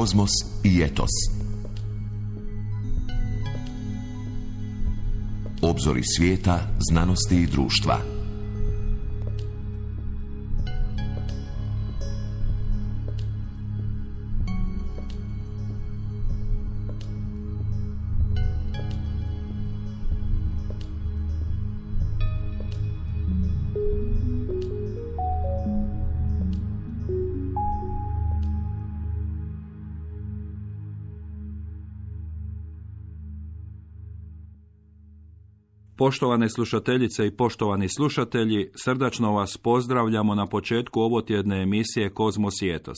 Kozmos i etos. Obzori svijeta, znanosti i društva. Poštovane slušateljice i poštovani slušatelji, srdačno vas pozdravljamo na početku ovotjedne emisije Kozmos i etos.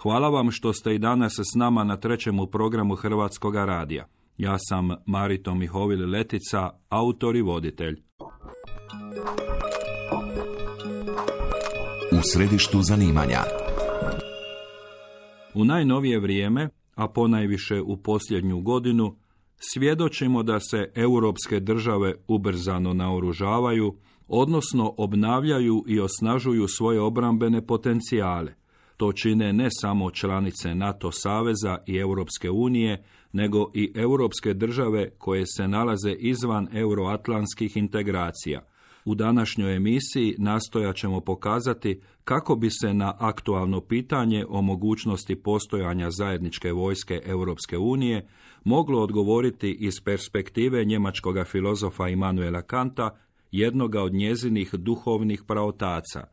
Hvala vam što ste i danas s nama na trećemu programu Hrvatskog radija. Ja sam Marito Mihovil Letica, autor i voditelj. U središtu zanimanja. U najnovije vrijeme, a ponajviše u posljednju godinu, svjedočimo da se europske države ubrzano naoružavaju, odnosno obnavljaju i osnažuju svoje obrambene potencijale. To čine ne samo članice NATO saveza i Europske unije, nego i europske države koje se nalaze izvan euroatlantskih integracija. U današnjoj emisiji nastojat ćemo pokazati kako bi se na aktualno pitanje o mogućnosti postojanja zajedničke vojske Europske unije moglo odgovoriti iz perspektive njemačkog filozofa Immanuela Kanta, jednoga od njezinih duhovnih praotaca.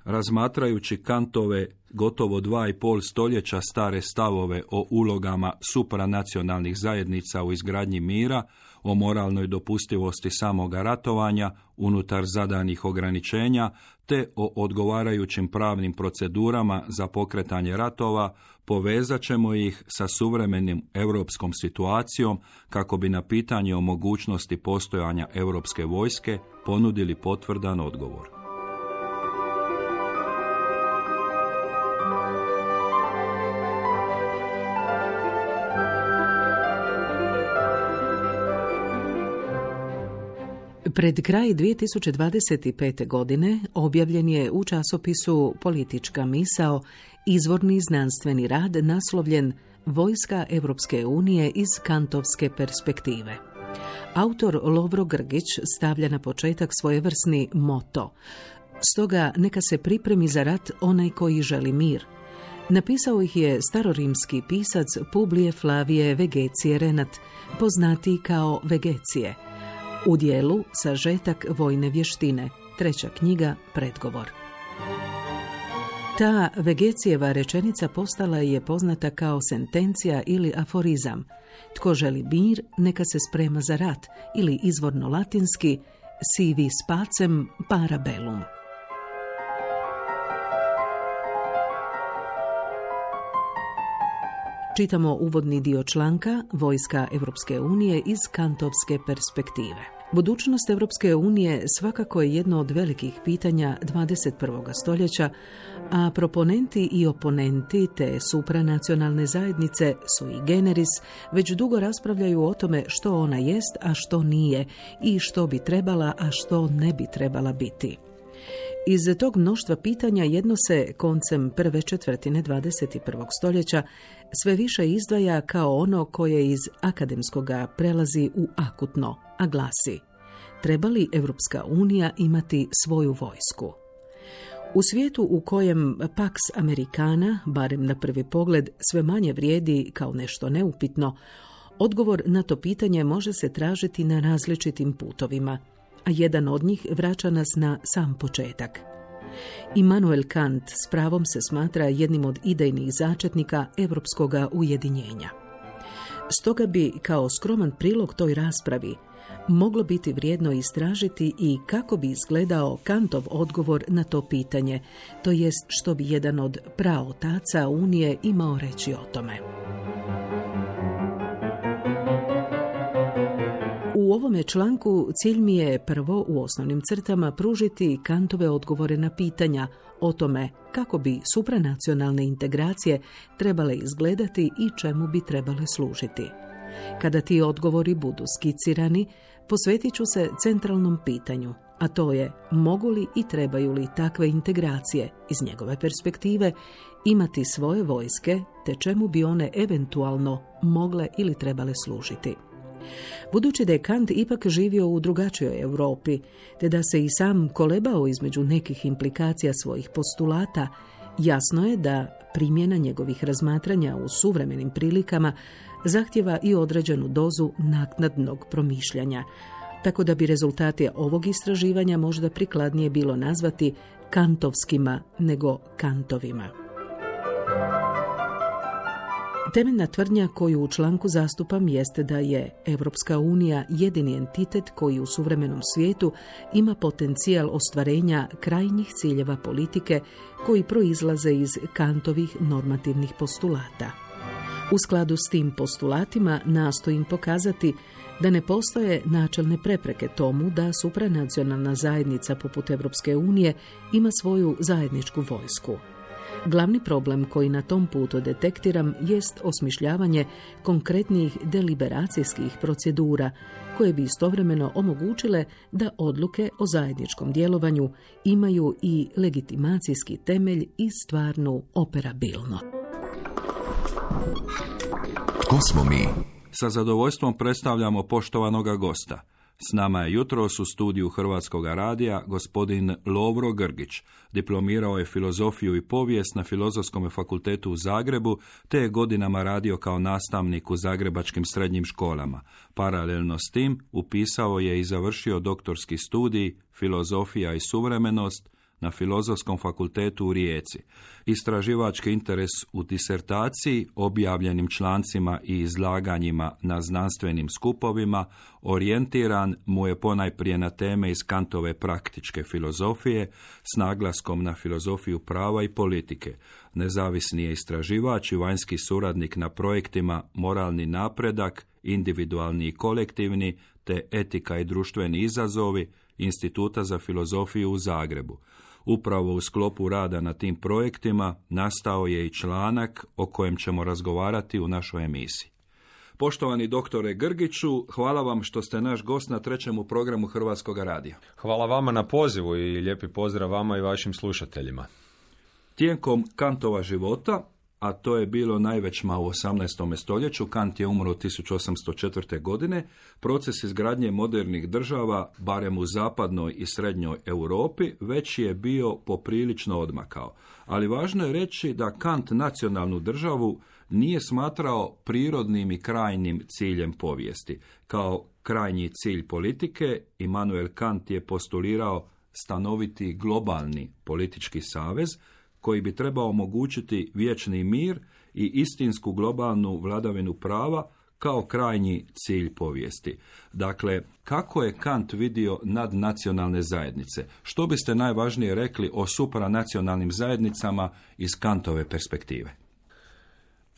Razmatrajući Kantove gotovo 2,5 stoljeća stare stavove o ulogama supranacionalnih zajednica u izgradnji mira, o moralnoj dopustivosti samoga ratovanja unutar zadanih ograničenja, te o odgovarajućim pravnim procedurama za pokretanje ratova, povezat ćemo ih sa suvremenim europskom situacijom kako bi na pitanje o mogućnosti postojanja europske vojske ponudili potvrdan odgovor. Pred kraj 2025. godine objavljen je u časopisu Politička misao izvorni znanstveni rad naslovljen Vojska Europske unije iz kantovske perspektive. Autor Lovro Grgić stavlja na početak svojevrsni moto. Stoga neka se pripremi za rat onaj koji želi mir. Napisao ih je starorimski pisac Publije Flavije Vegecije Renat, poznatiji kao Vegecije. U dijelu Sažetak vojne vještine, 3. knjiga, predgovor. Ta Vegecijeva rečenica postala je poznata kao sentencija ili aforizam. Tko želi mir, neka se sprema za rat, ili izvorno latinski si vis pacem para bellum. Čitamo uvodni dio članka Vojska Europske unije iz kantovske perspektive. Budućnost Europske unije svakako je jedno od velikih pitanja 21. stoljeća, a proponenti i oponenti te supranacionalne zajednice sui generis već dugo raspravljaju o tome što ona jest, a što nije, i što bi trebala, a što ne bi trebala biti. Iz tog mnoštva pitanja jedno se koncem prve četvrtine 21. stoljeća sve više izdvaja kao ono koje iz akademskoga prelazi u akutno, a glasi: treba li Europska unija imati svoju vojsku? U svijetu u kojem Pax Americana, barem na prvi pogled, sve manje vrijedi kao nešto neupitno, odgovor na to pitanje može se tražiti na različitim putovima, a jedan od njih vraća nas na sam početak. Immanuel Kant s pravom se smatra jednim od idejnih začetnika europskoga ujedinjenja. Stoga bi, kao skroman prilog toj raspravi, moglo biti vrijedno istražiti i kako bi izgledao Kantov odgovor na to pitanje, to jest što bi jedan od praotaca Unije imao reći o tome. U ovome članku cilj mi je prvo u osnovnim crtama pružiti Kantove odgovore na pitanja o tome kako bi supranacionalne integracije trebale izgledati i čemu bi trebale služiti. Kada ti odgovori budu skicirani, posvetit ću se centralnom pitanju, a to je mogu li i trebaju li takve integracije iz njegove perspektive imati svoje vojske, te čemu bi one eventualno mogle ili trebale služiti. Budući da je Kant ipak živio u drugačijoj Europi, te da se i sam kolebao između nekih implikacija svojih postulata, jasno je da primjena njegovih razmatranja u suvremenim prilikama zahtjeva i određenu dozu naknadnog promišljanja, tako da bi rezultate ovog istraživanja možda prikladnije bilo nazvati kantovskima nego Kantovima. Temeljna tvrdnja koju u članku zastupam jeste da je Europska unija jedini entitet koji u suvremenom svijetu ima potencijal ostvarenja krajnjih ciljeva politike koji proizlaze iz Kantovih normativnih postulata. U skladu s tim postulatima nastojim pokazati da ne postoje načelne prepreke tomu da supranacionalna zajednica poput Europske unije ima svoju zajedničku vojsku. Glavni problem koji na tom putu detektiram jest osmišljavanje konkretnih deliberacijskih procedura koje bi istovremeno omogućile da odluke o zajedničkom djelovanju imaju i legitimacijski temelj i stvarnu operabilnost. Tko smo mi? Sa zadovoljstvom predstavljamo poštovanoga gosta. S nama je jutros u studiju Hrvatskog radija gospodin Lovro Grgić. Diplomirao je filozofiju i povijest na Filozofskom fakultetu u Zagrebu, te je godinama radio kao nastavnik u zagrebačkim srednjim školama. Paralelno s tim upisao je i završio doktorski studij Filozofija i suvremenost na Filozofskom fakultetu u Rijeci. Istraživački interes u disertaciji, objavljenim člancima i izlaganjima na znanstvenim skupovima orijentiran mu je ponajprije na teme iz Kantove praktičke filozofije s naglaskom na filozofiju prava i politike. Nezavisni je istraživač i vanjski suradnik na projektima Moralni napredak, individualni i kolektivni, te Etika i društveni izazovi Instituta za filozofiju u Zagrebu. Upravo u sklopu rada na tim projektima nastao je i članak o kojem ćemo razgovarati u našoj emisiji. Poštovani doktore Grgiću, hvala vam što ste naš gost na 3. programu Hrvatskog radija. Hvala vama na pozivu i lijepi pozdrav vama i vašim slušateljima. Tijekom Kantova života, a to je bilo najvećma u 18. stoljeću, Kant je umro 1804. godine, proces izgradnje modernih država, barem u zapadnoj i srednjoj Europi, već je bio poprilično odmakao. Ali važno je reći da Kant nacionalnu državu nije smatrao prirodnim i krajnjim ciljem povijesti. Kao krajnji cilj politike, Immanuel Kant je postulirao stanoviti globalni politički savez, koji bi trebao omogućiti vječni mir i istinsku globalnu vladavinu prava kao krajnji cilj povijesti. Dakle, kako je Kant vidio nadnacionalne zajednice? Što biste najvažnije rekli o supranacionalnim zajednicama iz Kantove perspektive?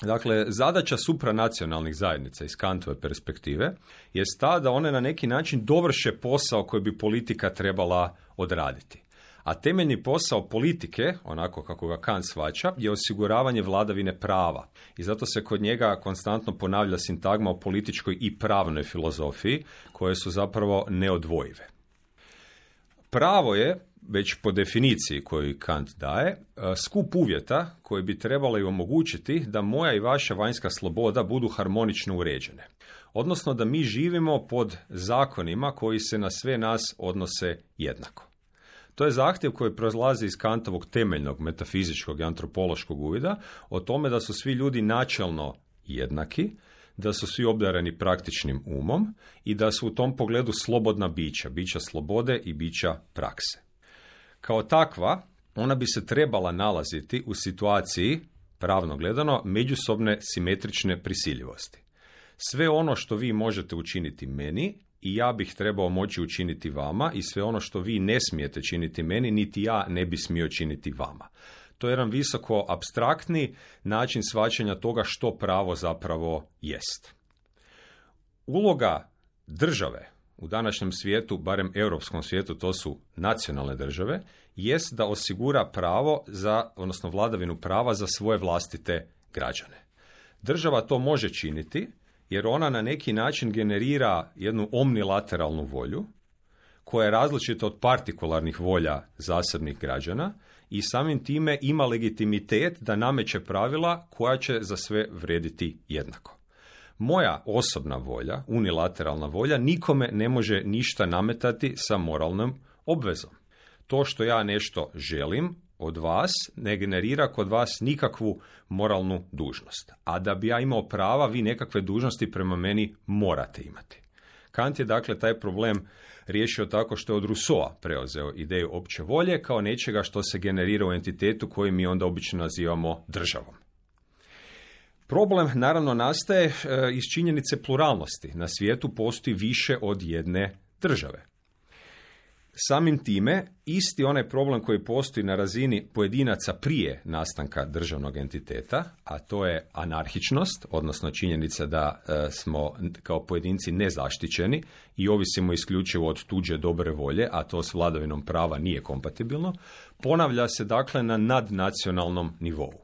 Dakle, zadaća supranacionalnih zajednica iz Kantove perspektive je ta da one na neki način dovrše posao koji bi politika trebala odraditi. A temeljni posao politike, onako kako ga Kant shvaća, je osiguravanje vladavine prava. I zato se kod njega konstantno ponavlja sintagma o političkoj i pravnoj filozofiji, koje su zapravo neodvojive. Pravo je, već po definiciji koju Kant daje, skup uvjeta koji bi trebali omogućiti da moja i vaša vanjska sloboda budu harmonično uređene. Odnosno da mi živimo pod zakonima koji se na sve nas odnose jednako. To je zahtjev koji proizlazi iz Kantovog temeljnog metafizičkog i antropološkog uvida o tome da su svi ljudi načelno jednaki, da su svi obdareni praktičnim umom i da su u tom pogledu slobodna bića slobode i bića prakse. Kao takva, ona bi se trebala nalaziti u situaciji, pravno gledano, međusobne simetrične prisiljivosti. Sve ono što vi možete učiniti meni, i ja bih trebao moći učiniti vama, i sve ono što vi ne smijete činiti meni, niti ja ne bi smio činiti vama. To je jedan visoko apstraktni način shvaćanja toga što pravo zapravo jest. Uloga države u današnjem svijetu, barem europskom svijetu, to su nacionalne države, jest da osigura pravo odnosno vladavinu prava za svoje vlastite građane. Država to može činiti jer ona na neki način generira jednu omnilateralnu volju koja je različita od partikularnih volja zasebnih građana i samim time ima legitimitet da nameće pravila koja će za sve vrijediti jednako. Moja osobna volja, unilateralna volja, nikome ne može ništa nametati sa moralnom obvezom. To što ja nešto želim od vas ne generira kod vas nikakvu moralnu dužnost. A da bi ja imao prava, vi nekakve dužnosti prema meni morate imati. Kant je dakle taj problem riješio tako što je od Rousseaua preuzeo ideju opće volje kao nečega što se generira u entitetu koji mi onda obično nazivamo državom. Problem naravno nastaje iz činjenice pluralnosti. Na svijetu postoji više od jedne države. Samim time, isti onaj problem koji postoji na razini pojedinaca prije nastanka državnog entiteta, a to je anarhičnost, odnosno činjenica da smo kao pojedinci nezaštićeni i ovisimo isključivo od tuđe dobre volje, a to s vladavinom prava nije kompatibilno, ponavlja se dakle na nadnacionalnom nivou.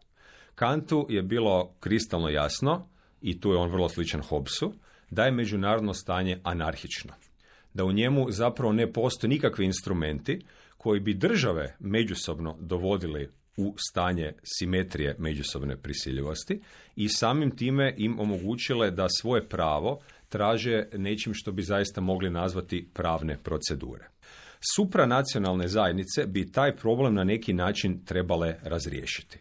Kantu je bilo kristalno jasno, i tu je on vrlo sličan Hobbesu, da je međunarodno stanje anarhično. Da u njemu zapravo ne postoje nikakvi instrumenti koji bi države međusobno dovodili u stanje simetrije međusobne prisiljivosti i samim time im omogućile da svoje pravo traže nečim što bi zaista mogli nazvati pravne procedure. Supranacionalne zajednice bi taj problem na neki način trebale razriješiti.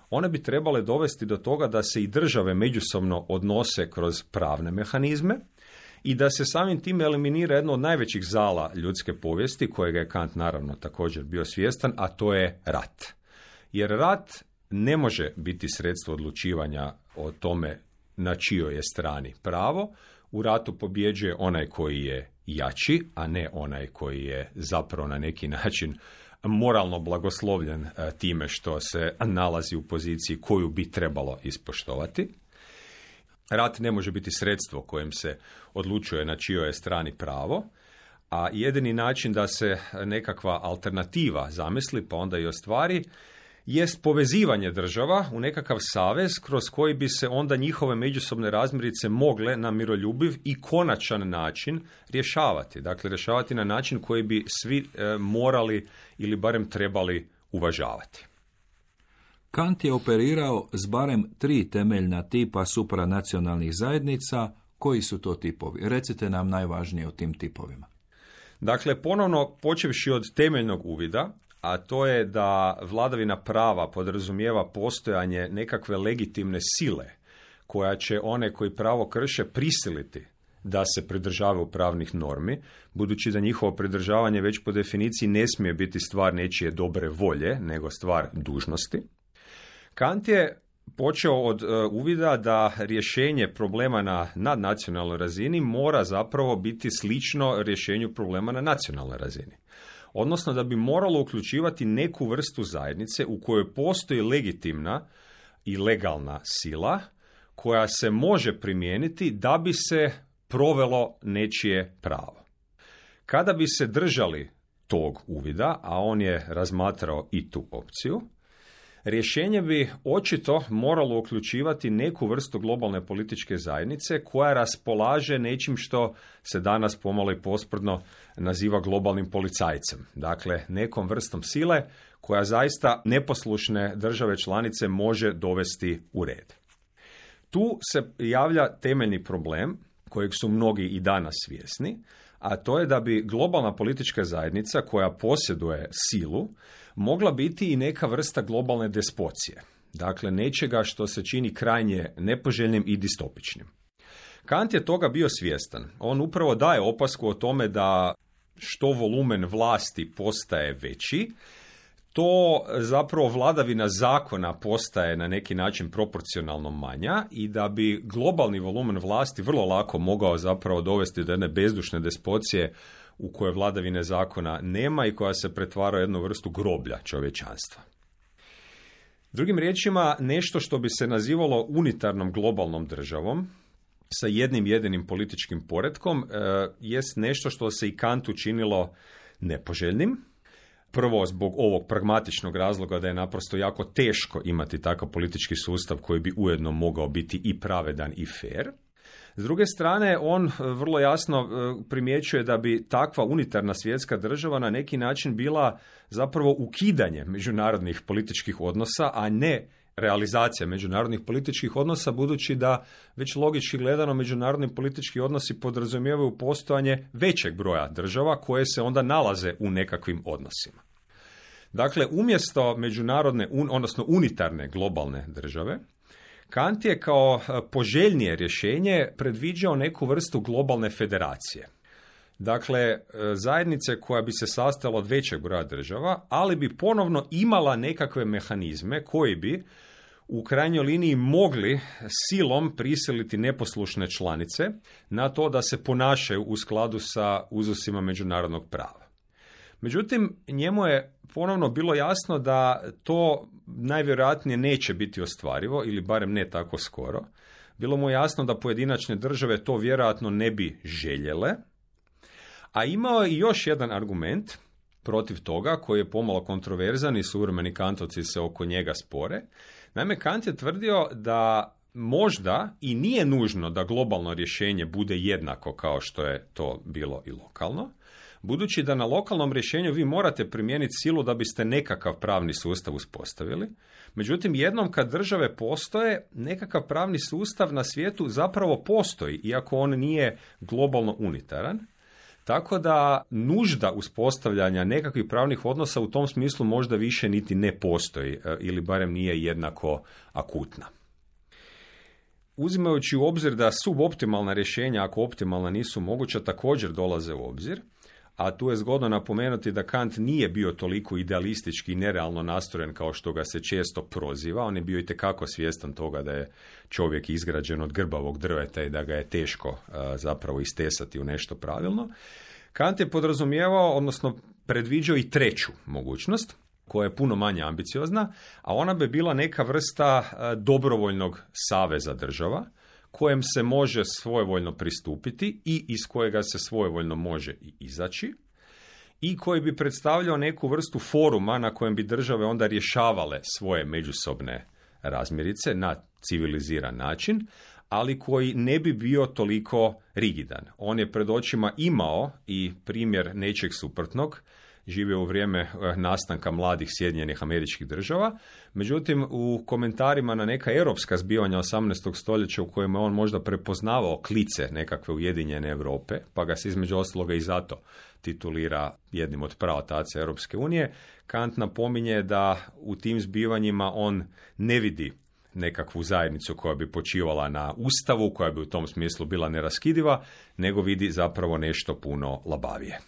One bi trebale dovesti do toga da se i države međusobno odnose kroz pravne mehanizme i da se samim time eliminira jedno od najvećih zala ljudske povijesti, kojega je Kant naravno također bio svjestan, a to je rat. Jer rat ne može biti sredstvo odlučivanja o tome na čijoj je strani pravo. U ratu pobjeđuje onaj koji je jači, a ne onaj koji je zapravo na neki način moralno blagoslovljen time što se nalazi u poziciji koju bi trebalo ispoštovati. Rat ne može biti sredstvo kojim se odlučuje na čijoj je strani pravo, a jedini način da se nekakva alternativa zamisli, pa onda i ostvari, jest povezivanje država u nekakav savez kroz koji bi se onda njihove međusobne razmirice mogle na miroljubiv i konačan način rješavati. Dakle, rješavati na način koji bi svi morali ili barem trebali uvažavati. Kant je operirao s barem 3 temeljna tipa supranacionalnih zajednica. Koji su to tipovi? Recite nam najvažnije o tim tipovima. Dakle, ponovno počevši od temeljnog uvida, a to je da vladavina prava podrazumijeva postojanje nekakve legitimne sile koja će one koji pravo krše prisiliti da se pridržavaju pravnih normi, budući da njihovo pridržavanje već po definiciji ne smije biti stvar nečije dobre volje, nego stvar dužnosti. Kant je počeo od uvida da rješenje problema na nadnacionalnoj razini mora zapravo biti slično rješenju problema na nacionalnoj razini. Odnosno da bi moralo uključivati neku vrstu zajednice u kojoj postoji legitimna i legalna sila koja se može primijeniti da bi se provelo nečije pravo. Kada bi se držali tog uvida, a on je razmatrao i tu opciju, rješenje bi očito moralo uključivati neku vrstu globalne političke zajednice koja raspolaže nečim što se danas pomalo i posprdno naziva globalnim policajcem. Dakle, nekom vrstom sile koja zaista neposlušne države članice može dovesti u red. Tu se javlja temeljni problem kojeg su mnogi i danas svjesni, a to je da bi globalna politička zajednica koja posjeduje silu mogla biti i neka vrsta globalne despocije. Dakle, nečega što se čini krajnje nepoželjnim i distopičnim. Kant je toga bio svjestan. On upravo daje opasku o tome da što volumen vlasti postaje veći, to zapravo vladavina zakona postaje na neki način proporcionalno manja i da bi globalni volumen vlasti vrlo lako mogao zapravo dovesti do jedne bezdušne despocije u kojoj vladavine zakona nema i koja se pretvara u jednu vrstu groblja čovječanstva. Drugim riječima, nešto što bi se nazivalo unitarnom globalnom državom sa jednim jedinim političkim poretkom jest nešto što se i Kantu činilo nepoželjnim. Prvo, zbog ovog pragmatičnog razloga da je naprosto jako teško imati takav politički sustav koji bi ujedno mogao biti i pravedan i fer. S druge strane, on vrlo jasno primjećuje da bi takva unitarna svjetska država na neki način bila zapravo ukidanje međunarodnih političkih odnosa, a ne realizacija međunarodnih političkih odnosa, budući da već logički gledano međunarodni politički odnosi podrazumijevaju postojanje većeg broja država koje se onda nalaze u nekakvim odnosima. Dakle, umjesto međunarodne, odnosno unitarne globalne države, Kant je kao poželjnije rješenje predviđao neku vrstu globalne federacije. Dakle, zajednice koja bi se sastojala od većeg broja država, ali bi ponovno imala nekakve mehanizme koji bi u krajnjoj liniji mogli silom prisiliti neposlušne članice na to da se ponašaju u skladu sa uzusima međunarodnog prava. Međutim, njemu je ponovno bilo jasno da to najvjerojatnije neće biti ostvarivo, ili barem ne tako skoro. Bilo mu jasno da pojedinačne države to vjerojatno ne bi željele, a imao je i još jedan argument protiv toga koji je pomalo kontroverzan i suvremeni kantovci se oko njega spore. Naime, Kant je tvrdio da možda i nije nužno da globalno rješenje bude jednako kao što je to bilo i lokalno, budući da na lokalnom rješenju vi morate primijeniti silu da biste nekakav pravni sustav uspostavili. Međutim, jednom kad države postoje, nekakav pravni sustav na svijetu zapravo postoji, iako on nije globalno unitaran. Tako da nužda uspostavljanja nekakvih pravnih odnosa u tom smislu možda više niti ne postoji, ili barem nije jednako akutna. Uzimajući u obzir da suboptimalna rješenja, ako optimalna nisu moguća, također dolaze u obzir, a tu je zgodno napomenuti da Kant nije bio toliko idealistički i nerealno nastrojen kao što ga se često proziva. On je bio itekako svjestan toga da je čovjek izgrađen od grbavog drveta i da ga je teško zapravo istesati u nešto pravilno. Kant je podrazumijevao, odnosno predviđao i treću mogućnost, koja je puno manje ambiciozna, a ona bi bila neka vrsta dobrovoljnog saveza država, kojem se može svojevoljno pristupiti i iz kojega se svojevoljno može i izaći, i koji bi predstavljao neku vrstu foruma na kojem bi države onda rješavale svoje međusobne razmirice na civiliziran način, ali koji ne bi bio toliko rigidan. On je pred očima imao i primjer nečeg suprotnog, živio u vrijeme nastanka mladih Sjedinjenih Američkih Država, međutim u komentarima na neka europska zbivanja 18. stoljeća u kojima on možda prepoznavao klice nekakve ujedinjene Europe, pa ga se između ostaloga i zato titulira jednim od praotaca Europske unije, Kant napominje da u tim zbivanjima on ne vidi nekakvu zajednicu koja bi počivala na ustavu, koja bi u tom smislu bila neraskidiva, nego vidi zapravo nešto puno labavije.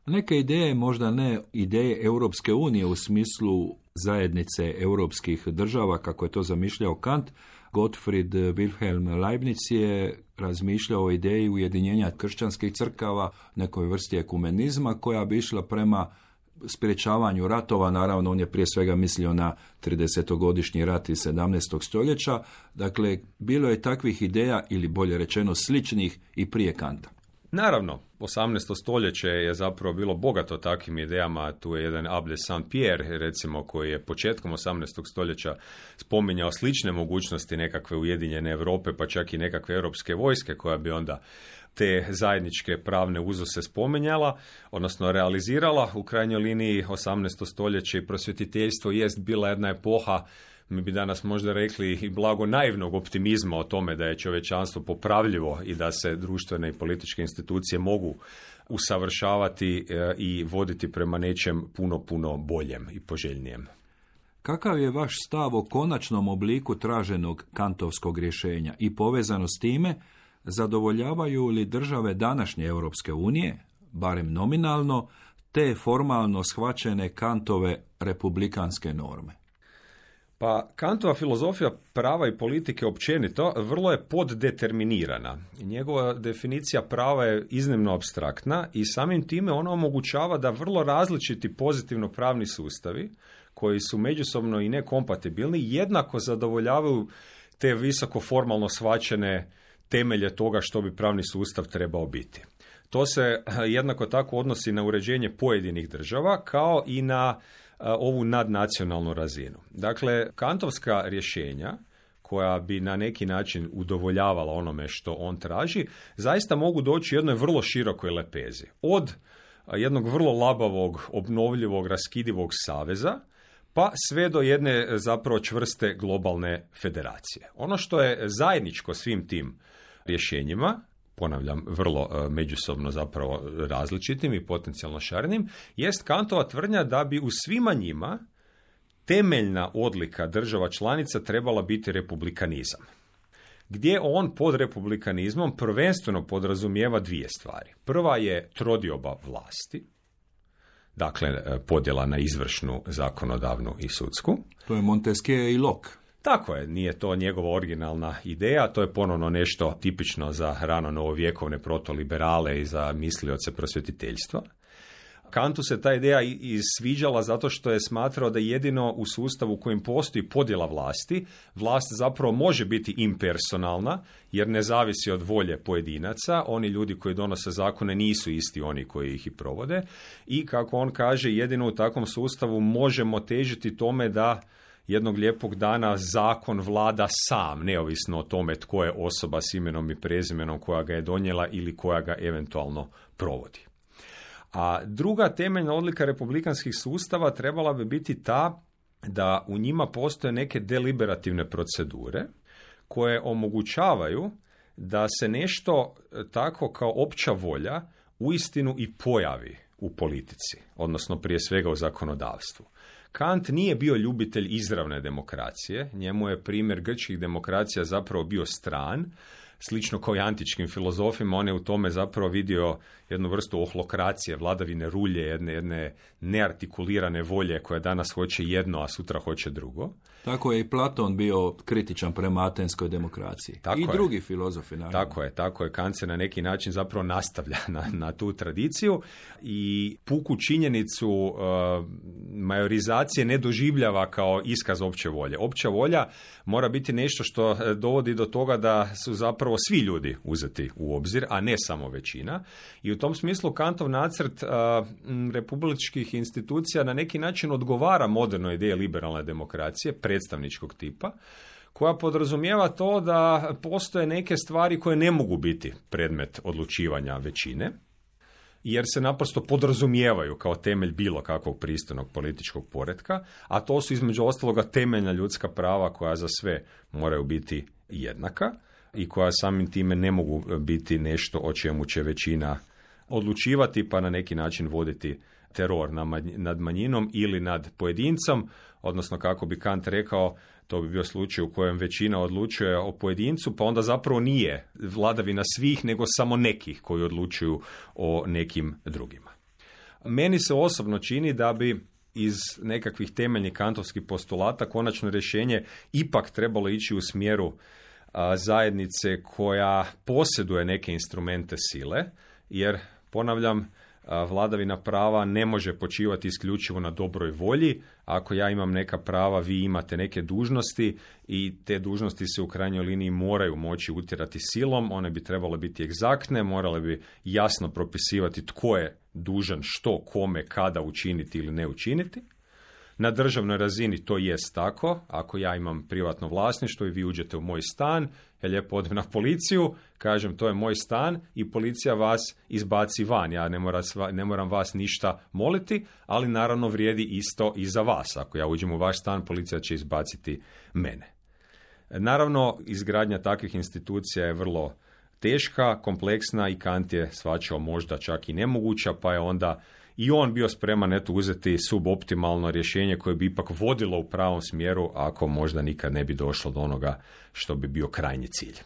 Neke ideje, možda ne ideje Europske unije u smislu zajednice europskih država, kako je to zamišljao Kant, Gottfried Wilhelm Leibniz je razmišljao o ideji ujedinjenja kršćanskih crkava, nekoj vrsti ekumenizma koja bi išla prema sprječavanju ratova. Naravno, on je prije svega mislio na 30-godišnji rat iz 17. stoljeća. Dakle, bilo je takvih ideja, ili bolje rečeno sličnih, i prije Kanta. Naravno, 18. stoljeće je zapravo bilo bogato takvim idejama. Tu je jedan Abbé de Saint-Pierre, recimo, koji je početkom 18. stoljeća spominjao slične mogućnosti nekakve ujedinjene Europe, pa čak i nekakve europske vojske koja bi onda te zajedničke pravne uzuse spominjala, odnosno realizirala. U krajnjoj liniji 18. stoljeće i prosvjetiteljstvo jest bila jedna epoha, mi bi danas možda rekli i blago naivnog optimizma o tome da je čovječanstvo popravljivo i da se društvene i političke institucije mogu usavršavati i voditi prema nečem puno, puno boljem i poželjnijem. Kakav je vaš stav o konačnom obliku traženog kantovskog rješenja i povezano s time, zadovoljavaju li države današnje Europske unije, barem nominalno, te formalno shvaćene Kantove republikanske norme? Pa Kantova filozofija prava i politike općenito vrlo je poddeterminirana. Njegova definicija prava je iznimno apstraktna i samim time ona omogućava da vrlo različiti pozitivno pravni sustavi, koji su međusobno i nekompatibilni, jednako zadovoljavaju te visoko formalno shvaćene temelje toga što bi pravni sustav trebao biti. To se jednako tako odnosi na uređenje pojedinih država kao i na ovu nadnacionalnu razinu. Dakle, kantovska rješenja koja bi na neki način udovoljavala onome što on traži, zaista mogu doći u jednoj vrlo širokoj lepezi. Od jednog vrlo labavog, obnovljivog, raskidivog saveza, pa sve do jedne zapravo čvrste globalne federacije. Ono što je zajedničko svim tim rješenjima, ponavljam, vrlo međusobno zapravo različitim i potencijalno šarenim, jest Kantova tvrdnja da bi u svima njima temeljna odlika država članica trebala biti republikanizam. Gdje on pod republikanizmom prvenstveno podrazumijeva dvije stvari. Prva je trodioba vlasti, dakle podjela na izvršnu, zakonodavnu i sudsku. To je Montesquieu i Locke. Tako je, nije to njegova originalna ideja, to je ponovno nešto tipično za rano novovjekovne protoliberale i za mislioce prosvjetiteljstva. Kantu se ta ideja sviđala zato što je smatrao da jedino u sustavu u kojem postoji podjela vlasti, vlast zapravo može biti impersonalna jer ne zavisi od volje pojedinaca, oni ljudi koji donose zakone nisu isti oni koji ih i provode i kako on kaže, jedino u takvom sustavu možemo težiti tome da jednog lijepog dana zakon vlada sam, neovisno o tome tko je osoba s imenom i prezimenom koja ga je donijela ili koja ga eventualno provodi. A druga temeljna odlika republikanskih sustava trebala bi biti ta da u njima postoje neke deliberativne procedure koje omogućavaju da se nešto tako kao opća volja uistinu i pojavi u politici, odnosno prije svega u zakonodavstvu. Kant nije bio ljubitelj izravne demokracije, njemu je primjer grčkih demokracija zapravo bio stran, slično kao i antičkim filozofima, on je u tome zapravo vidio jednu vrstu ohlokracije, vladavine rulje, jedne neartikulirane volje koja danas hoće jedno, a sutra hoće drugo. Tako je i Platon bio kritičan prema atenskoj demokraciji. Tako I je. drugi filozofi, naravno. Tako je. Kant se na neki način zapravo nastavlja na tu tradiciju i puku činjenicu majorizacije ne doživljava kao iskaz opće volje. Opća volja mora biti nešto što dovodi do toga da su zapravo svi ljudi uzeti u obzir, a ne samo većina. I u tom smislu Kantov nacrt republičkih institucija na neki način odgovara modernoj ideji liberalne demokracije, predstavničkog tipa, koja podrazumijeva to da postoje neke stvari koje ne mogu biti predmet odlučivanja većine, jer se naprosto podrazumijevaju kao temelj bilo kakvog pristojnog političkog poretka, a to su između ostaloga temeljna ljudska prava koja za sve moraju biti jednaka i koja samim time ne mogu biti nešto o čemu će većina odlučivati pa na neki način voditi teror nad manjinom ili nad pojedincom, odnosno kako bi Kant rekao, to bi bio slučaj u kojem većina odlučuje o pojedincu, pa onda zapravo nije vladavina svih, nego samo nekih koji odlučuju o nekim drugima. Meni se osobno čini da bi iz nekakvih temeljnih kantovskih postulata konačno rješenje ipak trebalo ići u smjeru zajednice koja posjeduje neke instrumente sile, jer, ponavljam, vladavina prava ne može počivati isključivo na dobroj volji. Ako ja imam neka prava, vi imate neke dužnosti i te dužnosti se u krajnjoj liniji moraju moći utjerati silom, one bi trebale biti egzaktne, morale bi jasno propisivati tko je dužan što, kome, kada učiniti ili ne učiniti. Na državnoj razini to jest tako. Ako ja imam privatno vlasništvo i vi uđete u moj stan, ja lijepo odem na policiju, kažem to je moj stan i policija vas izbaci van. Ja ne moram vas ništa moliti, ali naravno vrijedi isto i za vas. Ako ja uđem u vaš stan, policija će izbaciti mene. Naravno, izgradnja takvih institucija je vrlo teška, kompleksna i Kant je shvaćao možda čak i nemoguća, pa je onda i on bio spreman uzeti suboptimalno rješenje koje bi ipak vodilo u pravom smjeru, ako možda nikad ne bi došlo do onoga što bi bio krajnji cilj.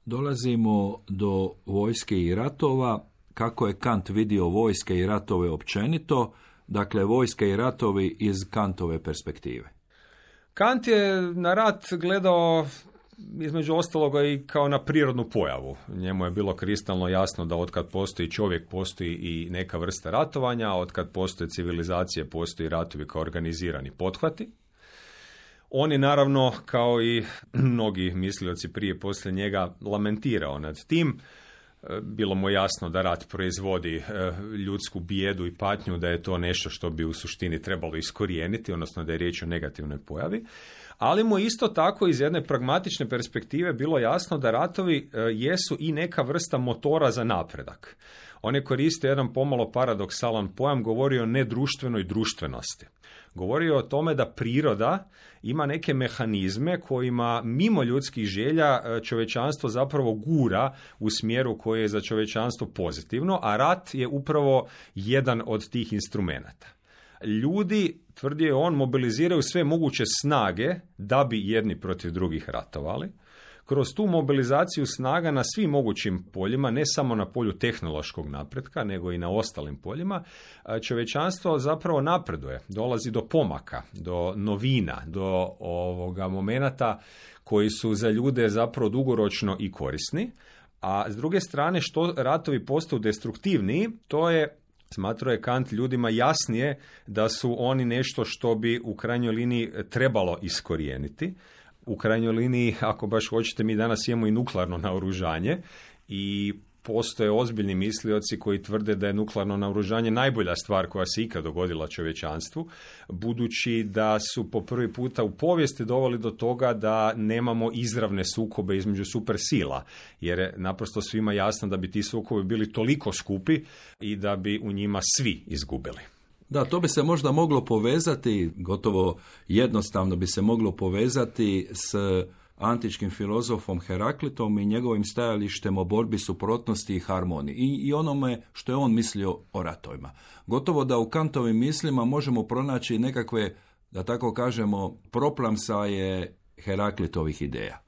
Dolazimo do vojske i ratova. Kako je Kant vidio vojske i ratove općenito? Dakle, vojske i ratovi iz Kantove perspektive. Kant je na rat gledao između ostaloga i kao na prirodnu pojavu. Njemu je bilo kristalno jasno da otkad postoji čovjek, postoji i neka vrsta ratovanja, a otkad postoje civilizacije, postoji ratovi kao organizirani pothvati. On je naravno, kao i mnogi mislioci prije poslije njega, lamentirao nad tim. Bilo mu jasno da rat proizvodi ljudsku bijedu i patnju, da je to nešto što bi u suštini trebalo iskorijeniti, odnosno da je riječ o negativnoj pojavi. Ali mu isto tako iz jedne pragmatične perspektive bilo jasno da ratovi jesu i neka vrsta motora za napredak. On je koristio jedan pomalo paradoksalan pojam, govorio o nedruštvenoj društvenosti. Govorio o tome da priroda ima neke mehanizme kojima mimo ljudskih želja čovječanstvo zapravo gura u smjeru koji je za čovječanstvo pozitivno, a rat je upravo jedan od tih instrumenata. Ljudi, tvrdio je on, mobiliziraju sve moguće snage da bi jedni protiv drugih ratovali. Kroz tu mobilizaciju snaga na svim mogućim poljima, ne samo na polju tehnološkog napretka, nego i na ostalim poljima, čovječanstvo zapravo napreduje, dolazi do pomaka, do novina, do momenata koji su za ljude zapravo dugoročno i korisni. A s druge strane, što ratovi postaju destruktivniji, to je, smatrao je Kant, ljudima jasnije da su oni nešto što bi u krajnjoj liniji trebalo iskorijeniti. U krajnjoj liniji, ako baš hoćete, mi danas imamo i nuklearno naoružanje i postoje ozbiljni mislioci koji tvrde da je nuklearno naoružanje najbolja stvar koja se ikad dogodila čovječanstvu, budući da su po prvi puta u povijesti doveli do toga da nemamo izravne sukobe između supersila, jer je naprosto svima jasno da bi ti sukobi bili toliko skupi i da bi u njima svi izgubili. Da, to bi se možda moglo povezati, gotovo jednostavno bi se moglo povezati s antičkim filozofom Heraklitom i njegovim stajalištem o borbi suprotnosti i harmoniji i onome što je on mislio o ratovima. Gotovo da u Kantovim mislima možemo pronaći nekakve, da tako kažemo, proplamsaje Heraklitovih ideja.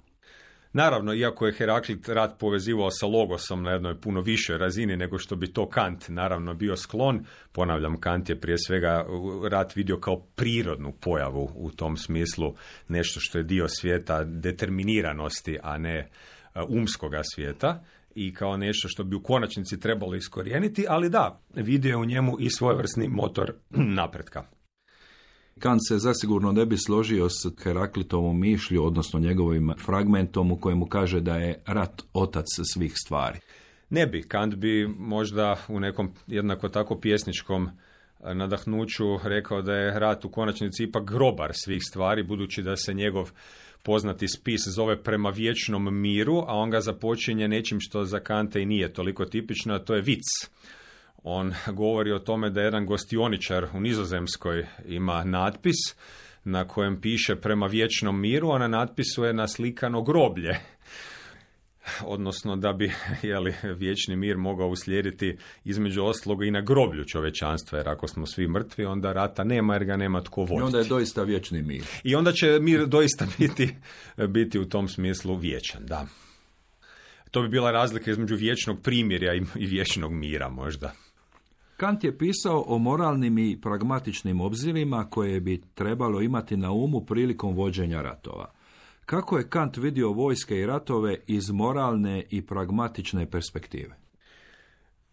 Naravno, iako je Heraklit rat povezivao sa logosom na jednoj puno višoj razini nego što bi to Kant naravno bio sklon, ponavljam, Kant je prije svega rat vidio kao prirodnu pojavu u tom smislu, nešto što je dio svijeta determiniranosti, a ne umskoga svijeta, i kao nešto što bi u konačnici trebalo iskorijeniti, ali da, vidio je u njemu i svojevrsni motor napretka. Kant se zasigurno ne bi složio s Heraklitovom mišlju, odnosno njegovim fragmentom u kojemu kaže da je rat otac svih stvari. Ne bi. Kant bi možda u nekom jednako tako pjesničkom nadahnuću rekao da je rat u konačnici ipak grobar svih stvari, budući da se njegov poznati spis zove Prema vječnom miru, a on ga započinje nečim što za Kanta i nije toliko tipično, a to je vic. On govori o tome da jedan gostioničar u Nizozemskoj ima natpis na kojem piše Prema vječnom miru, a na natpisu je naslikano groblje. Odnosno da bi vječni mir mogao uslijediti između ostaloga i na groblju čovječanstva, jer ako smo svi mrtvi, onda rata nema jer ga nema tko voditi. I onda je doista vječni mir. I onda će mir doista biti u tom smislu vječan, da. To bi bila razlika između vječnog primirja i vječnog mira možda. Kant je pisao o moralnim i pragmatičnim obzirima koje bi trebalo imati na umu prilikom vođenja ratova. Kako je Kant vidio vojske i ratove iz moralne i pragmatične perspektive?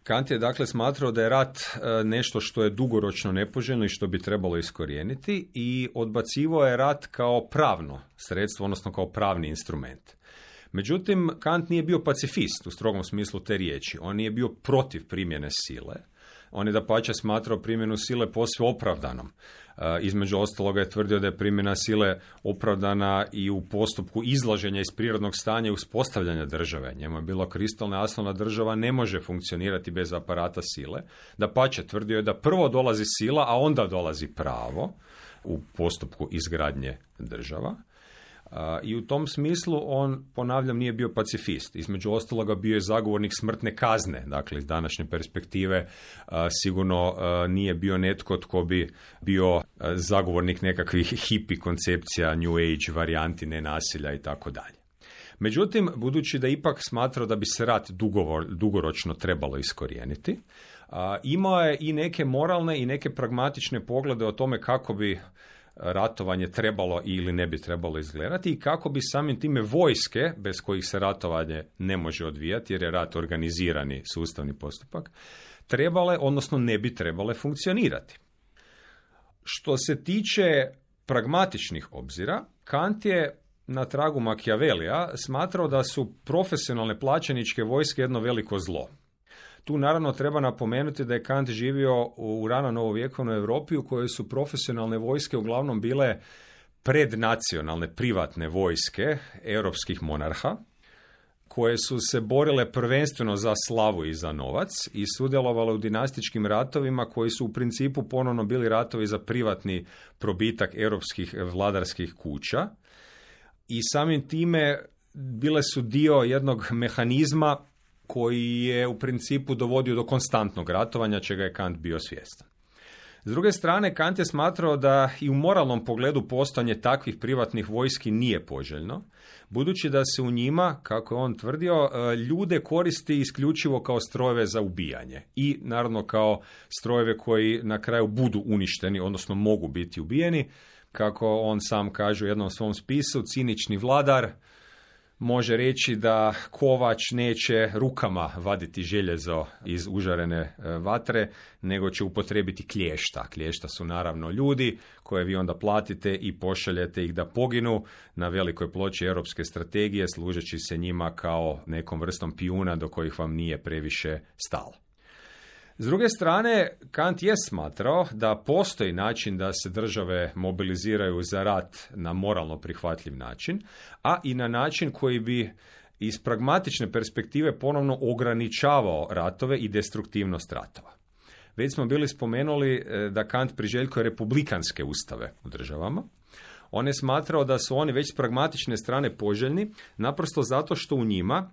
Kant je dakle smatrao da je rat nešto što je dugoročno nepoželjno i što bi trebalo iskorijeniti i odbacivao je rat kao pravno sredstvo, odnosno kao pravni instrument. Međutim, Kant nije bio pacifist u strogom smislu te riječi. On nije bio protiv primjene sile. On je dapače smatrao primjenu sile posve opravdanom. Između ostaloga je tvrdio da je primjena sile opravdana i u postupku izlaženja iz prirodnog stanja i uspostavljanja države. Njemu je bilo kristalno jasno da država ne može funkcionirati bez aparata sile. Dapače, tvrdio je da prvo dolazi sila, a onda dolazi pravo u postupku izgradnje država. I u tom smislu on, ponavljam, nije bio pacifist. Između ostaloga bio je zagovornik smrtne kazne. Dakle, iz današnje perspektive sigurno nije bio netko tko bi bio zagovornik nekakvih hipi koncepcija, New Age varijanti nenasilja i tako dalje. Međutim, budući da ipak smatrao da bi se rat dugoročno trebalo iskorijeniti, imao je i neke moralne i neke pragmatične poglede o tome kako bi ratovanje trebalo ili ne bi trebalo izgledati i kako bi samim time vojske, bez kojih se ratovanje ne može odvijati jer je rat organizirani sustavni postupak, trebale, odnosno ne bi trebale funkcionirati. Što se tiče pragmatičnih obzira, Kant je na tragu Machiavellija smatrao da su profesionalne plaćeničke vojske jedno veliko zlo. Tu naravno treba napomenuti da je Kant živio u rano novovjekovnoj Europi u kojoj su profesionalne vojske uglavnom bile prednacionalne privatne vojske europskih monarha, koje su se borile prvenstveno za slavu i za novac i sudjelovale u dinastičkim ratovima koji su u principu ponovno bili ratovi za privatni probitak europskih vladarskih kuća i samim time bile su dio jednog mehanizma koji je u principu dovodio do konstantnog ratovanja, čega je Kant bio svjestan. S druge strane, Kant je smatrao da i u moralnom pogledu postojanje takvih privatnih vojski nije poželjno, budući da se u njima, kako je on tvrdio, ljude koristi isključivo kao strojeve za ubijanje i naravno kao strojeve koji na kraju budu uništeni, odnosno mogu biti ubijeni. Kako on sam kaže u jednom svom spisu, cinični vladar može reći da kovač neće rukama vaditi željezo iz užarene vatre, nego će upotrijebiti klješta. Klješta su naravno ljudi koje vi onda platite i pošaljete ih da poginu na velikoj ploči europske strategije, služeći se njima kao nekom vrstom pijuna do kojih vam nije previše stalo. S druge strane, Kant je smatrao da postoji način da se države mobiliziraju za rat na moralno prihvatljiv način, a i na način koji bi iz pragmatične perspektive ponovno ograničavao ratove i destruktivnost ratova. Već smo bili spomenuli da Kant priželjkuje republikanske ustave u državama. On je smatrao da su oni već s pragmatične strane poželjni, naprosto zato što u njima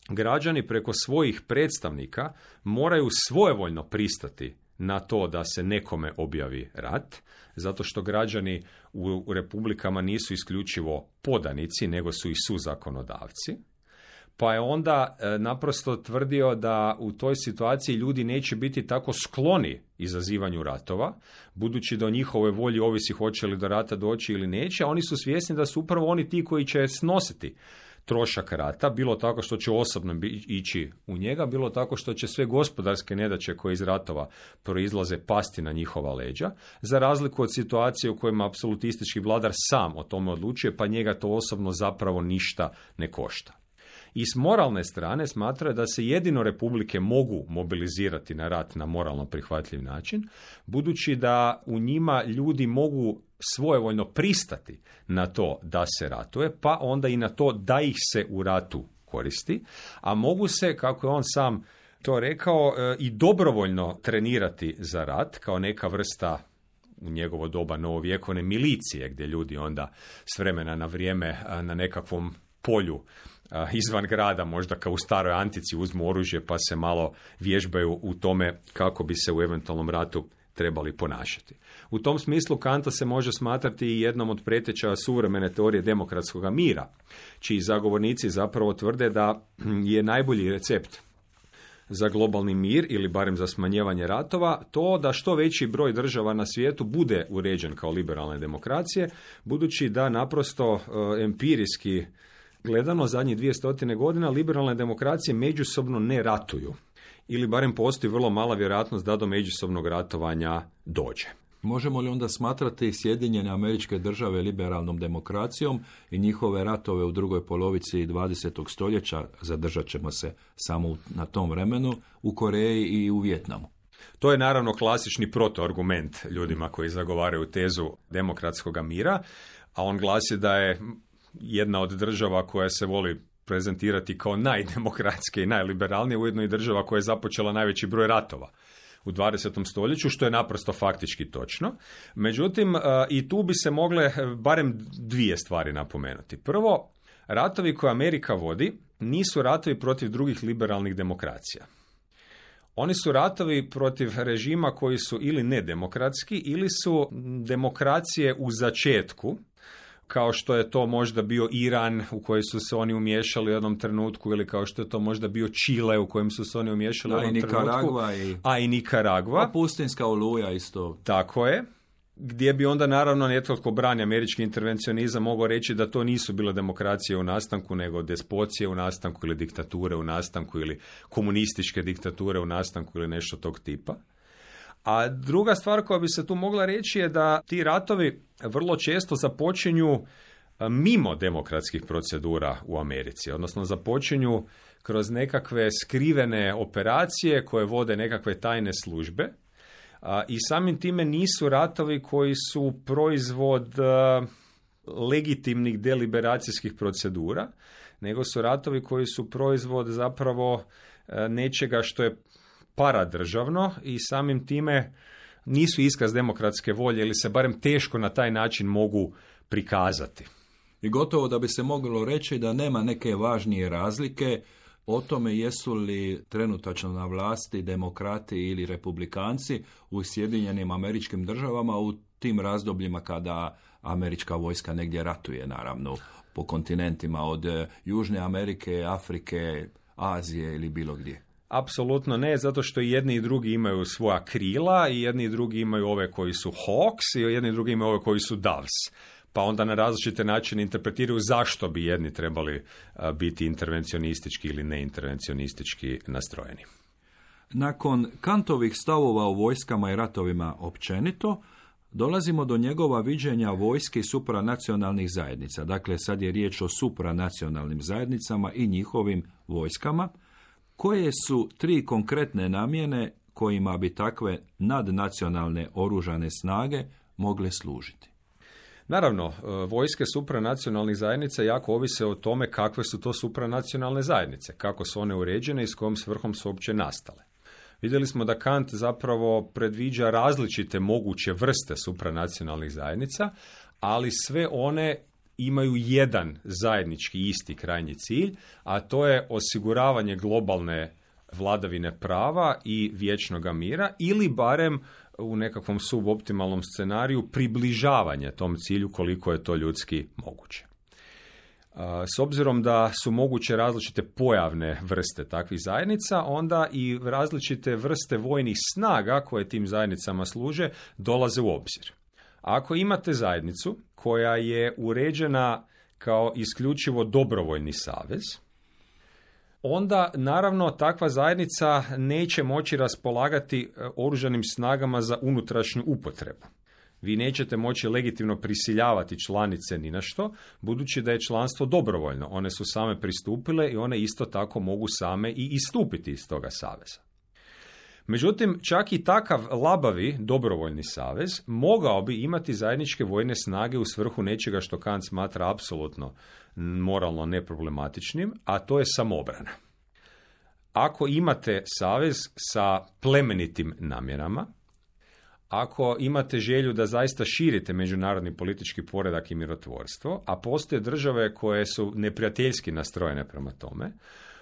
građani preko svojih predstavnika moraju svojevoljno pristati na to da se nekome objavi rat, zato što građani u republikama nisu isključivo podanici, nego su i suzakonodavci. Pa je onda naprosto tvrdio da u toj situaciji ljudi neće biti tako skloni izazivanju ratova, budući da o njihovoj volji ovisi hoće li do rata doći ili neće, a oni su svjesni da su upravo oni ti koji će snositi trošak rata, bilo tako što će osobno ići u njega, bilo tako što će sve gospodarske nedaće koje iz ratova proizlaze pasti na njihova leđa, za razliku od situacije u kojima apsolutistički vladar sam o tome odlučuje, pa njega to osobno zapravo ništa ne košta. I s moralne strane smatra da se jedino republike mogu mobilizirati na rat na moralno prihvatljiv način, budući da u njima ljudi mogu svojevoljno pristati na to da se ratuje, pa onda i na to da ih se u ratu koristi, a mogu se, kako je on sam to rekao, i dobrovoljno trenirati za rat, kao neka vrsta u njegovo doba novovjekovne milicije, gdje ljudi onda s vremena na vrijeme na nekakvom polju izvan grada, možda kao u staroj antici, uzmu oružje pa se malo vježbaju u tome kako bi se u eventualnom ratu trebali ponašati. U tom smislu Kanta se može smatrati i jednom od preteča suvremene teorije demokratskog mira, čiji zagovornici zapravo tvrde da je najbolji recept za globalni mir ili barem za smanjevanje ratova to da što veći broj država na svijetu bude uređen kao liberalne demokracije, budući da naprosto empirijski gledano zadnjih 200 godina liberalne demokracije međusobno ne ratuju. Ili barem postoji vrlo mala vjerojatnost da do međusobnog ratovanja dođe. Možemo li onda smatrati Sjedinjene Američke Države liberalnom demokracijom i njihove ratove u drugoj polovici 20. stoljeća, zadržat ćemo se samo na tom vremenu, u Koreji i u Vijetnamu? To je naravno klasični protoargument ljudima koji zagovaraju tezu demokratskog mira, a on glasi da je jedna od država koja se voli prezentirati kao najdemokratske i najliberalnije, ujedno i država koja je započela najveći broj ratova u 20. stoljeću, što je naprosto faktički točno. Međutim, i tu bi se mogle barem dvije stvari napomenuti. Prvo, ratovi koje Amerika vodi nisu ratovi protiv drugih liberalnih demokracija. Oni su ratovi protiv režima koji su ili nedemokratski ili su demokracije u začetku, kao što je to možda bio Iran u koji su se oni umiješali u jednom trenutku, ili kao što je to možda bio Čile u kojem su se oni umiješali u jednom trenutku. A i Nikaragva. A pustinska oluja isto. Tako je. Gdje bi onda naravno netko tko brani američki intervencionizam mogao reći da to nisu bile demokracije u nastanku, nego despocije u nastanku ili diktature u nastanku ili komunističke diktature u nastanku ili nešto tog tipa. A druga stvar koja bi se tu mogla reći je da ti ratovi vrlo često započinju mimo demokratskih procedura u Americi, odnosno započinju kroz nekakve skrivene operacije koje vode nekakve tajne službe i samim time nisu ratovi koji su proizvod legitimnih deliberacijskih procedura, nego su ratovi koji su proizvod zapravo nečega što je paradržavno i samim time nisu iskaz demokratske volje ili se barem teško na taj način mogu prikazati. I gotovo da bi se moglo reći da nema neke važnije razlike o tome jesu li trenutačno na vlasti demokrati ili republikanci u Sjedinjenim Američkim Državama u tim razdobljima kada američka vojska negdje ratuje, naravno, po kontinentima od Južne Amerike, Afrike, Azije ili bilo gdje. Apsolutno ne, zato što i jedni i drugi imaju svoja krila i jedni i drugi imaju ove koji su Hawks i jedni i drugi imaju ove koji su Doves. Pa onda na različite načine interpretiraju zašto bi jedni trebali biti intervencionistički ili neintervencionistički nastrojeni. Nakon Kantovih stavova o vojskama i ratovima općenito, dolazimo do njegova viđenja vojske i supranacionalnih zajednica. Dakle, sad je riječ o supranacionalnim zajednicama i njihovim vojskama. Koje su 3 konkretne namjene kojima bi takve nadnacionalne oružane snage mogle služiti? Naravno, vojske supranacionalnih zajednica jako ovise o tome kakve su to supranacionalne zajednice, kako su one uređene i s kojom svrhom su uopće nastale. Vidjeli smo da Kant zapravo predviđa različite moguće vrste supranacionalnih zajednica, ali sve one imaju jedan zajednički isti krajnji cilj, a to je osiguravanje globalne vladavine prava i vječnoga mira ili barem u nekakvom suboptimalnom scenariju približavanje tom cilju koliko je to ljudski moguće. S obzirom da su moguće različite pojavne vrste takvih zajednica, onda i različite vrste vojnih snaga koje tim zajednicama služe dolaze u obzir. Ako imate zajednicu koja je uređena kao isključivo dobrovoljni savez, onda naravno takva zajednica neće moći raspolagati oružanim snagama za unutrašnju upotrebu. Vi nećete moći legitimno prisiljavati članice ni na što, budući da je članstvo dobrovoljno. One su same pristupile i one isto tako mogu same i istupiti iz toga saveza. Međutim, čak i takav labavi dobrovoljni savez mogao bi imati zajedničke vojne snage u svrhu nečega što Kant smatra apsolutno moralno neproblematičnim, a to je samoobrana. Ako imate savez sa plemenitim namjerama, ako imate želju da zaista širite međunarodni politički poredak i mirotvorstvo, a postoje države koje su neprijateljski nastrojene prema tome,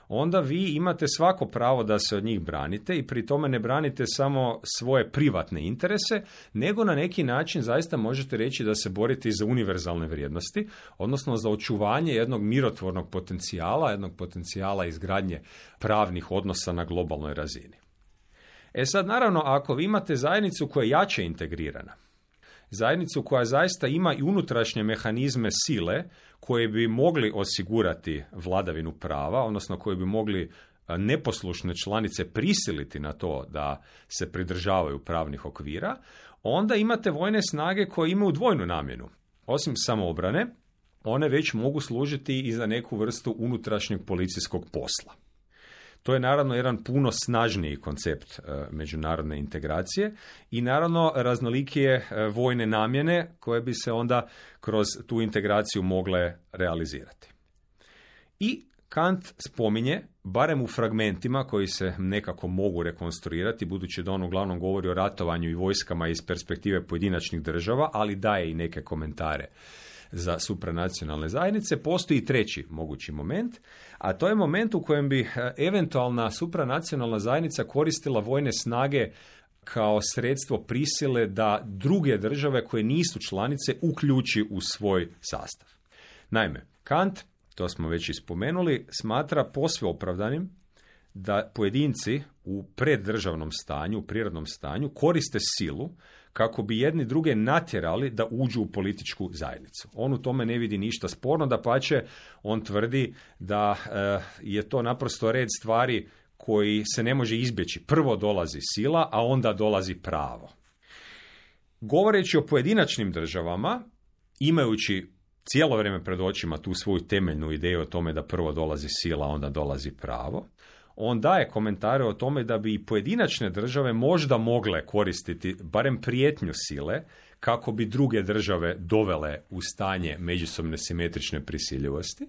onda vi imate svako pravo da se od njih branite i pri tome ne branite samo svoje privatne interese, nego na neki način zaista možete reći da se borite i za univerzalne vrijednosti, odnosno za očuvanje jednog mirotvornog potencijala, jednog potencijala izgradnje pravnih odnosa na globalnoj razini. Sad, naravno, ako vi imate zajednicu koja je jače integrirana, zajednicu koja zaista ima i unutrašnje mehanizme sile koje bi mogli osigurati vladavinu prava, odnosno koje bi mogli neposlušne članice prisiliti na to da se pridržavaju pravnih okvira, onda imate vojne snage koje imaju dvojnu namjenu. Osim samoobrane, one već mogu služiti i za neku vrstu unutrašnjeg policijskog posla. To je naravno jedan puno snažniji koncept međunarodne integracije i naravno raznolikije vojne namjene koje bi se onda kroz tu integraciju mogle realizirati. I Kant spominje, barem u fragmentima koji se nekako mogu rekonstruirati, budući da on uglavnom govori o ratovanju i vojskama iz perspektive pojedinačnih država, ali daje i neke komentare za supranacionalne zajednice, postoji treći mogući moment, a to je moment u kojem bi eventualna supranacionalna zajednica koristila vojne snage kao sredstvo prisile da druge države koje nisu članice uključi u svoj sastav. Naime, Kant, to smo već i spomenuli, smatra posve opravdanim da pojedinci u preddržavnom stanju, u prirodnom stanju, koriste silu kako bi jedni druge natjerali da uđu u političku zajednicu. On u tome ne vidi ništa sporno, dapače, on tvrdi da je to naprosto red stvari koji se ne može izbjeći. Prvo dolazi sila, a onda dolazi pravo. Govoreći o pojedinačnim državama, imajući cijelo vrijeme pred očima tu svoju temeljnu ideju o tome da prvo dolazi sila, a onda dolazi pravo, on daje komentare o tome da bi i pojedinačne države možda mogle koristiti barem prijetnju sile kako bi druge države dovele u stanje međusobne simetrične prisiljivosti.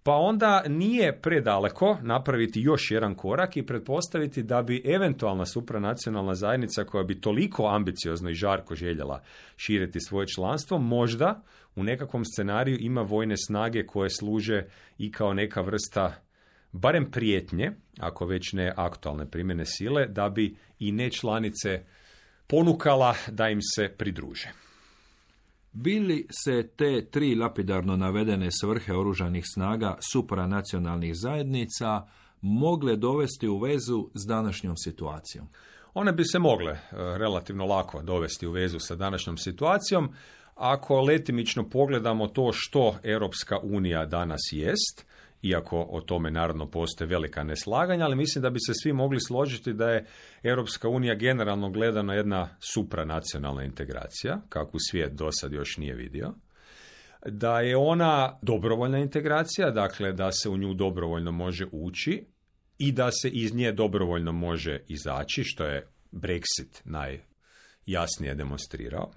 Pa onda nije predaleko napraviti još jedan korak i pretpostaviti da bi eventualna supranacionalna zajednica koja bi toliko ambiciozno i žarko željela širiti svoje članstvo, možda u nekakvom scenariju ima vojne snage koje služe i kao neka vrsta barem prijetnje, ako već ne aktualne primjene sile, da bi i nečlanice ponukala da im se pridruže. Bili se te tri lapidarno navedene svrhe oružanih snaga supranacionalnih zajednica mogle dovesti u vezu s današnjom situacijom? One bi se mogle relativno lako dovesti u vezu sa današnjom situacijom. Ako letimično pogledamo to što Europska unija danas jest, iako o tome naravno postoje velika neslaganja, ali mislim da bi se svi mogli složiti da je Europska unija generalno gledano jedna supranacionalna integracija, kakvu svijet do sad još nije vidio. Da je ona dobrovoljna integracija, dakle da se u nju dobrovoljno može ući i da se iz nje dobrovoljno može izaći, što je Brexit najjasnije demonstrirao.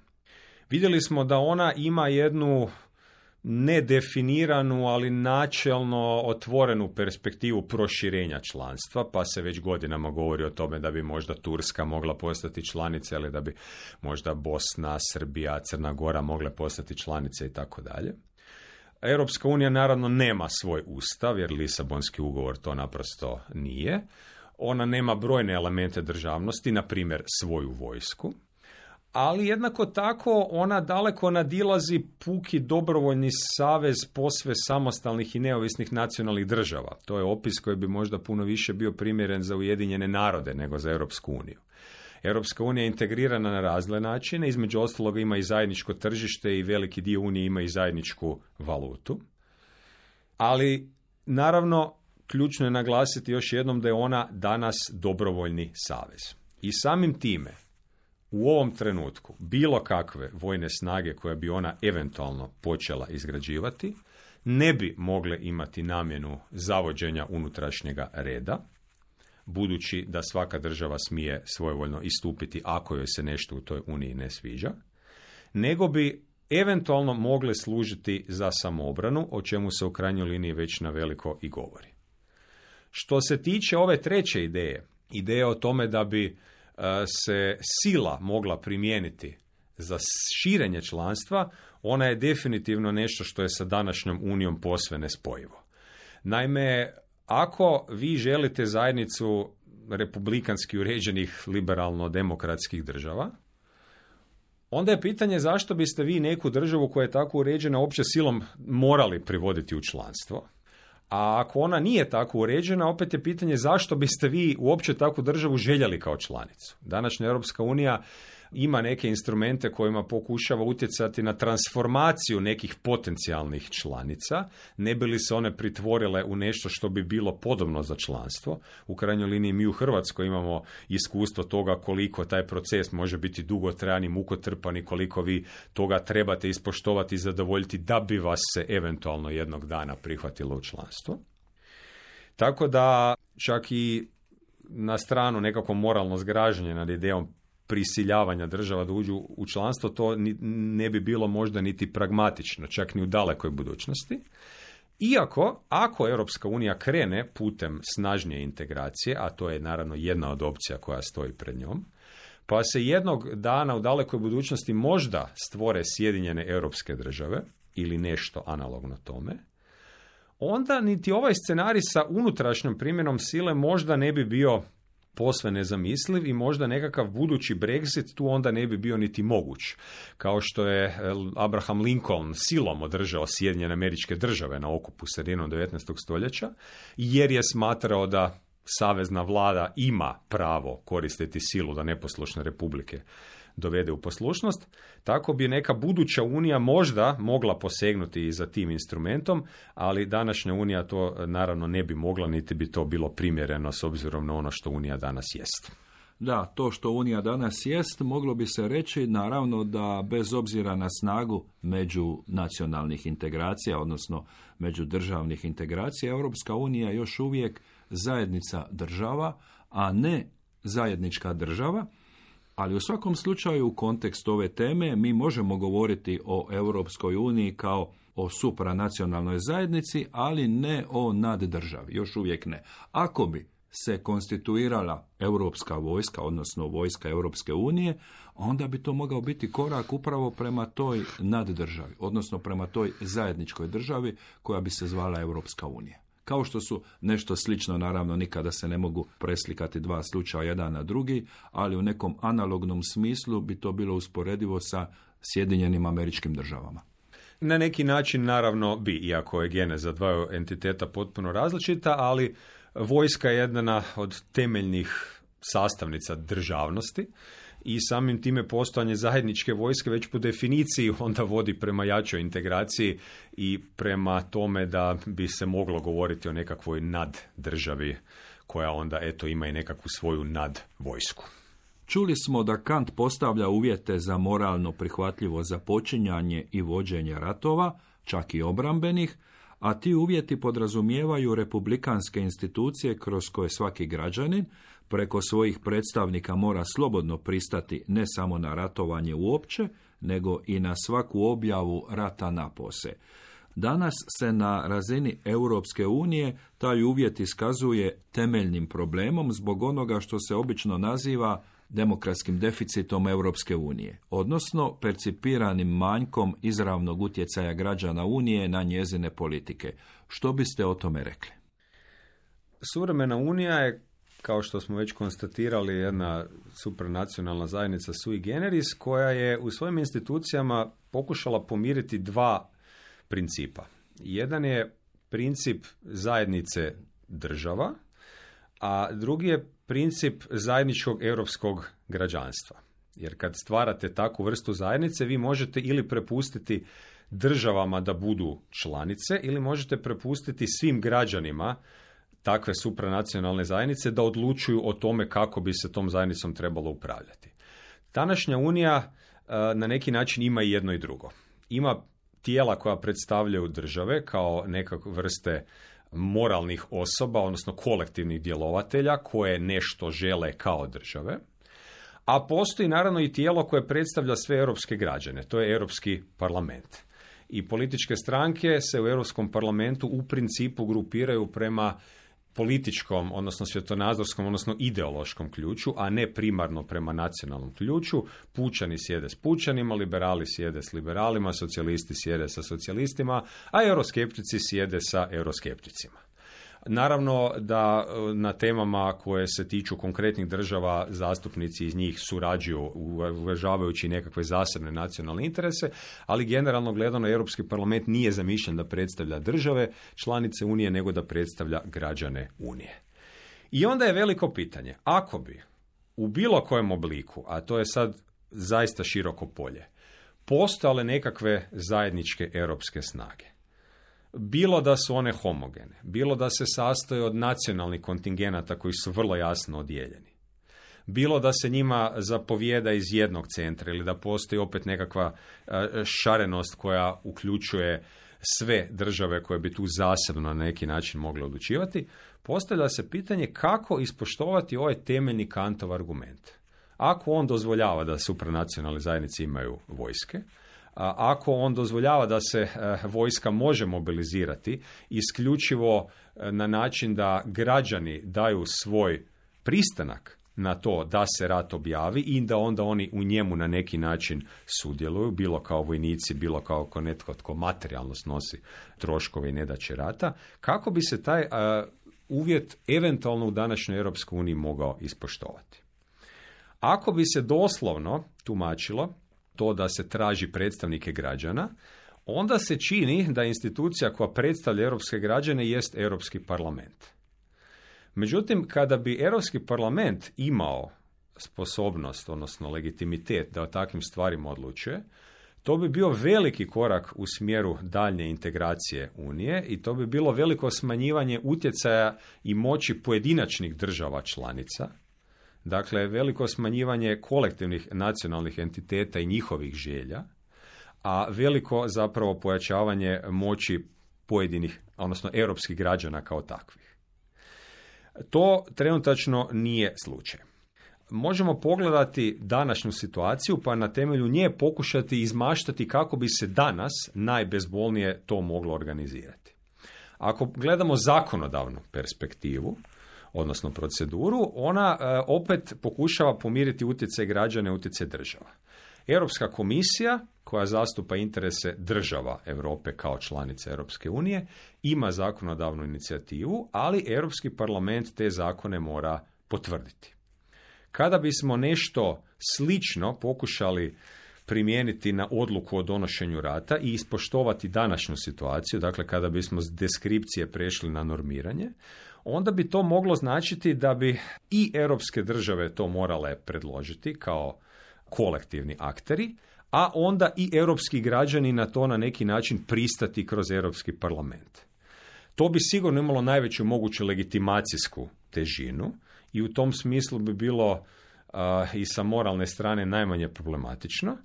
Vidjeli smo da ona ima jednu nedefiniranu, ali načelno otvorenu perspektivu proširenja članstva, pa se već godinama govori o tome da bi možda Turska mogla postati članica, ili da bi možda Bosna, Srbija, Crna Gora mogle postati članice i tako dalje. Europska unija naravno nema svoj ustav, jer Lisabonski ugovor to naprosto nije. Ona nema brojne elemente državnosti, na primjer svoju vojsku. Ali jednako tako ona daleko nadilazi puki dobrovoljni savez posve samostalnih i neovisnih nacionalnih država. To je opis koji bi možda puno više bio primjeren za Ujedinjene narode nego za Europsku uniju. Europska unija je integrirana na razne načine, između ostaloga ima i zajedničko tržište i veliki dio unije ima i zajedničku valutu. Ali naravno ključno je naglasiti još jednom da je ona danas dobrovoljni savez. I samim time u ovom trenutku bilo kakve vojne snage koje bi ona eventualno počela izgrađivati ne bi mogle imati namjenu zavođenja unutrašnjega reda, budući da svaka država smije svojevoljno istupiti ako joj se nešto u toj uniji ne sviđa, nego bi eventualno mogle služiti za samoobranu, o čemu se u krajnjoj liniji već na veliko i govori. Što se tiče ove treće ideje o tome da bi se sila mogla primijeniti za širenje članstva, ona je definitivno nešto što je sa današnjom unijom posve nespojivo. Naime, ako vi želite zajednicu republikanski uređenih liberalno-demokratskih država, onda je pitanje zašto biste vi neku državu koja je tako uređena uopće silom morali privoditi u članstvo. A ako ona nije tako uređena, opet je pitanje zašto biste vi uopće takvu državu željeli kao članicu. Današnja Europska unija ima neke instrumente kojima pokušava utjecati na transformaciju nekih potencijalnih članica, ne bi li se one pritvorile u nešto što bi bilo podobno za članstvo. U krajnjoj liniji mi u Hrvatskoj imamo iskustvo toga koliko taj proces može biti dugotrajan i mukotrpan i koliko vi toga trebate ispoštovati i zadovoljiti da bi vas se eventualno jednog dana prihvatilo u članstvo. Tako da čak i na stranu nekako moralno zgražanje nad idejom prisiljavanja država da uđu u članstvo, to ne bi bilo možda niti pragmatično, čak ni u dalekoj budućnosti. Iako, ako Europska unija krene putem snažnije integracije, a to je naravno jedna od opcija koja stoji pred njom, pa se jednog dana u dalekoj budućnosti možda stvore Sjedinjene europske države ili nešto analogno tome, onda niti ovaj scenarij sa unutrašnjom primjenom sile možda ne bi bio posve nezamisliv i možda nekakav budući Brexit tu onda ne bi bio niti moguć. Kao što je Abraham Lincoln silom održao Sjedinjene Američke Države na okupu sredinom 19. stoljeća, jer je smatrao da savezna vlada ima pravo koristiti silu da neposlušne republike dovede u poslušnost, tako bi neka buduća unija možda mogla posegnuti i za tim instrumentom, ali današnja unija to naravno ne bi mogla, niti bi to bilo primjereno s obzirom na ono što unija danas jest. Da, to što unija danas jest, moglo bi se reći naravno da bez obzira na snagu međunacionalnih integracija, odnosno međudržavnih integracija, Europska unija još uvijek zajednica država, a ne zajednička država. Ali u svakom slučaju u kontekstu ove teme mi možemo govoriti o Europskoj uniji kao o supranacionalnoj zajednici, ali ne o naddržavi, još uvijek ne. Ako bi se konstituirala europska vojska, odnosno vojska Europske unije, onda bi to mogao biti korak upravo prema toj naddržavi, odnosno prema toj zajedničkoj državi koja bi se zvala Europska unija. Kao što su nešto slično, naravno nikada se ne mogu preslikati dva slučaja jedan na drugi, ali u nekom analognom smislu bi to bilo usporedivo sa Sjedinjenim Američkim Državama. Na neki način naravno bi, iako je geneza dvaju entiteta potpuno različita, ali vojska je jedna od temeljnih sastavnica državnosti i samim time postojanje zajedničke vojske već po definiciji onda vodi prema jačoj integraciji i prema tome da bi se moglo govoriti o nekakvoj naddržavi koja onda ima i nekakvu svoju nadvojsku. Čuli smo da Kant postavlja uvjete za moralno prihvatljivo započinjanje i vođenje ratova, čak i obrambenih, a ti uvjeti podrazumijevaju republikanske institucije kroz koje svaki građanin preko svojih predstavnika mora slobodno pristati ne samo na ratovanje uopće, nego i na svaku objavu rata napose. Danas se na razini Europske unije taj uvjet iskazuje temeljnim problemom zbog onoga što se obično naziva demokratskim deficitom Europske unije, odnosno percipiranim manjkom izravnog utjecaja građana Unije na njezine politike. Što biste o tome rekli? Suvremena Unija je, kao što smo već konstatirali, jedna supranacionalna zajednica sui generis koja je u svojim institucijama pokušala pomiriti dva principa. Jedan je princip zajednice država, a drugi je princip zajedničkog europskog građanstva. Jer kad stvarate takvu vrstu zajednice, vi možete ili prepustiti državama da budu članice, ili možete prepustiti svim građanima takve supranacionalne zajednice da odlučuju o tome kako bi se tom zajednicom trebalo upravljati. Današnja Unija na neki način ima i jedno i drugo. Ima tijela koja predstavljaju države kao nekakve vrste moralnih osoba, odnosno kolektivnih djelovatelja koje nešto žele kao države, a postoji naravno i tijelo koje predstavlja sve europske građane, to je Europski parlament. I političke stranke se u Europskom parlamentu u principu grupiraju prema političkom, odnosno svjetonazorskom, odnosno ideološkom ključu, a ne primarno prema nacionalnom ključu. Pučani sjede s pučanima, liberali sjede s liberalima, socijalisti sjede sa socijalistima, a euroskeptici sjede sa euroskepticima. Naravno da na temama koje se tiču konkretnih država zastupnici iz njih surađuju uvažavajući nekakve zasebne nacionalne interese, ali generalno gledano Europski parlament nije zamišljen da predstavlja države, članice Unije, nego da predstavlja građane Unije. I onda je veliko pitanje, ako bi u bilo kojem obliku, a to je sad zaista široko polje, postojale nekakve zajedničke europske snage, bilo da su one homogene, bilo da se sastoje od nacionalnih kontingenata koji su vrlo jasno odijeljeni, bilo da se njima zapovijeda iz jednog centra ili da postoji opet nekakva šarenost koja uključuje sve države koje bi tu zasebno na neki način mogle odlučivati, postavlja se pitanje kako ispoštovati ovaj temeljni Kantov argument. Ako on dozvoljava da supranacionalne zajednice imaju vojske, ako on dozvoljava da se vojska može mobilizirati isključivo na način da građani daju svoj pristanak na to da se rat objavi i da onda oni u njemu na neki način sudjeluju, bilo kao vojnici, bilo kao netko tko materijalno snosi troškove i nedaće rata, kako bi se taj uvjet eventualno u današnjoj Europskoj uniji mogao ispoštovati. Ako bi se doslovno tumačilo to da se traži predstavnike građana, onda se čini da institucija koja predstavlja europske građane jest Europski parlament. Međutim, kada bi Europski parlament imao sposobnost, odnosno legitimitet da o takvim stvarima odlučuje, to bi bio veliki korak u smjeru daljnje integracije Unije i to bi bilo veliko smanjivanje utjecaja i moći pojedinačnih država članica. Dakle, veliko smanjivanje kolektivnih nacionalnih entiteta i njihovih želja, a veliko zapravo pojačavanje moći pojedinih, odnosno europskih građana kao takvih. To trenutačno nije slučaj. Možemo pogledati današnju situaciju pa na temelju nje pokušati izmaštati kako bi se danas najbezbolnije to moglo organizirati. Ako gledamo zakonodavnu perspektivu, odnosno proceduru, ona opet pokušava pomiriti utjecaj građana i utjecaj država. Europska komisija, koja zastupa interese država Europe kao članica Europske unije, ima zakonodavnu inicijativu, ali Europski parlament te zakone mora potvrditi. Kada bismo nešto slično pokušali primijeniti na odluku o donošenju rata i ispoštovati današnju situaciju, dakle kada bismo s deskripcije prešli na normiranje, onda bi to moglo značiti da bi i europske države to morale predložiti kao kolektivni akteri, a onda i europski građani na to na neki način pristati kroz Europski parlament. To bi sigurno imalo najveću moguću legitimacijsku težinu i u tom smislu bi bilo i sa moralne strane najmanje problematično,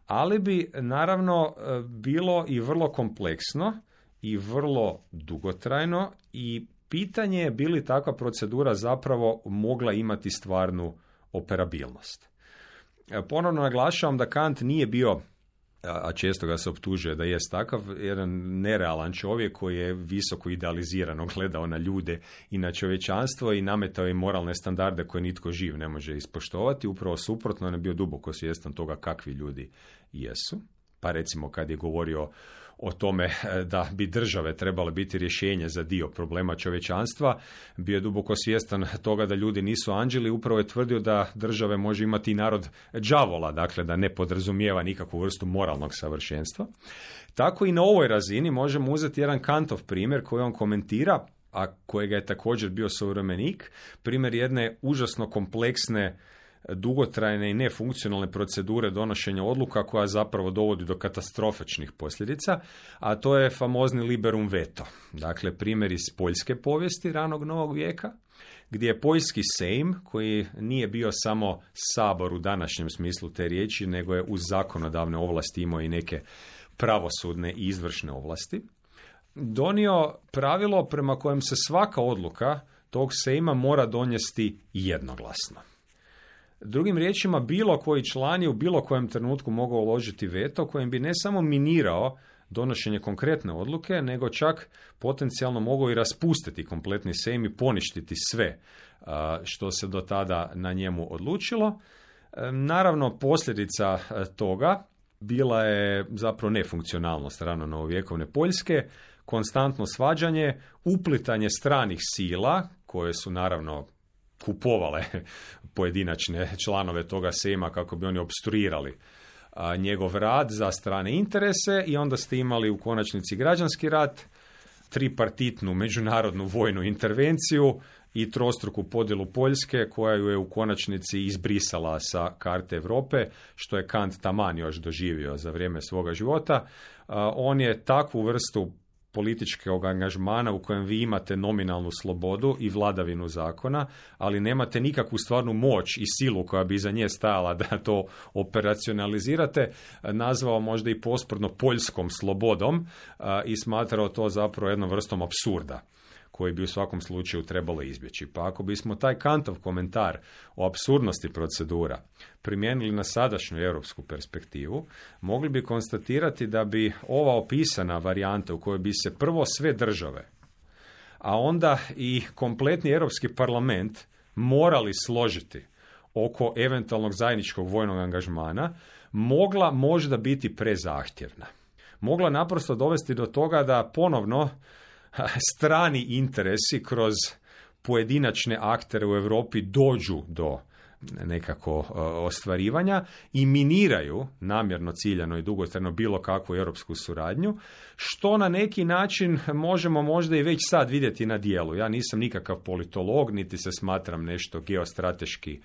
ali bi naravno bilo i vrlo kompleksno i vrlo dugotrajno i pitanje je bi li takva procedura zapravo mogla imati stvarnu operabilnost. Ponovno naglašavam da Kant nije bio, a često ga se optužuje da jest takav, jedan nerealan čovjek koji je visoko idealizirano gledao na ljude i na čovječanstvo i nametao im moralne standarde koje nitko živ ne može ispoštovati. Upravo suprotno, on je bio duboko svjestan toga kakvi ljudi jesu. Pa recimo kad je govorio o tome da bi države trebale biti rješenje za dio problema čovječanstva, bio je duboko svjestan toga da ljudi nisu anđeli, upravo je tvrdio da države može imati i narod đavola, dakle da ne podrazumijeva nikakvu vrstu moralnog savršenstva. Tako i na ovoj razini možemo uzeti jedan Kantov primjer koji on komentira, a kojega je također bio suvremenik, primjer jedne užasno kompleksne, dugotrajne i nefunkcionalne procedure donošenja odluka koja zapravo dovodi do katastrofičnih posljedica, a to je famozni liberum veto. Dakle, primjer iz poljske povijesti ranog novog vijeka, gdje je poljski sejm, koji nije bio samo sabor u današnjem smislu te riječi, nego je uz zakonodavne ovlasti imao i neke pravosudne i izvršne ovlasti, donio pravilo prema kojem se svaka odluka tog sejma mora donijeti jednoglasno. Drugim riječima, bilo koji član je u bilo kojem trenutku mogao uložiti veto kojim bi ne samo minirao donošenje konkretne odluke, nego čak potencijalno mogao i raspustiti kompletni sejm i poništiti sve što se do tada na njemu odlučilo. Naravno, posljedica toga bila je zapravo nefunkcionalnost rano novovjekovne Poljske, konstantno svađanje, uplitanje stranih sila koje su naravno kupovale pojedinačne članove toga sejma kako bi oni opstruirali njegov rad za strane interese i onda ste imali u konačnici građanski rat, tripartitnu međunarodnu vojnu intervenciju i trostruku podjelu Poljske koja ju je u konačnici izbrisala sa karte Europe, što je Kant taman još doživio za vrijeme svoga života. On je takvu vrstu političkog angažmana u kojem vi imate nominalnu slobodu i vladavinu zakona, ali nemate nikakvu stvarnu moć i silu koja bi iza nje stajala da to operacionalizirate, nazvao možda i posprdno poljskom slobodom i smatrao to zapravo jednom vrstom apsurda koji bi u svakom slučaju trebalo izbjeći. Pa ako bismo taj Kantov komentar o apsurdnosti procedura primijenili na sadašnju europsku perspektivu, mogli bi konstatirati da bi ova opisana varijanta u kojoj bi se prvo sve države, a onda i kompletni Europski parlament morali složiti oko eventualnog zajedničkog vojnog angažmana, mogla možda biti prezahtjevna. Mogla naprosto dovesti do toga da ponovno strani interesi kroz pojedinačne aktere u Europi dođu do nekako ostvarivanja i miniraju namjerno, ciljano i dugotrajno bilo kakvu europsku suradnju, što na neki način možemo možda i već sad vidjeti na djelu. Ja nisam nikakav politolog, niti se smatram nešto geostrateški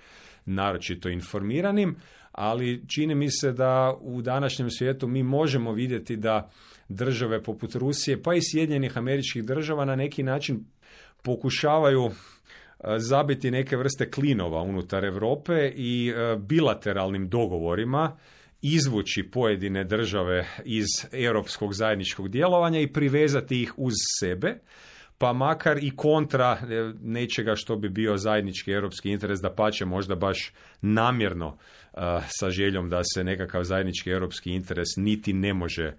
naročito informiranim, ali čini mi se da u današnjem svijetu mi možemo vidjeti da države poput Rusije, pa i Sjedinjenih Američkih Država na neki način pokušavaju zabiti neke vrste klinova unutar Europe i bilateralnim dogovorima izvući pojedine države iz europskog zajedničkog djelovanja i privezati ih uz sebe, pa makar i kontra nečega što bi bio zajednički europski interes, dapače možda baš namjerno sa željom da se nekakav zajednički europski interes niti ne može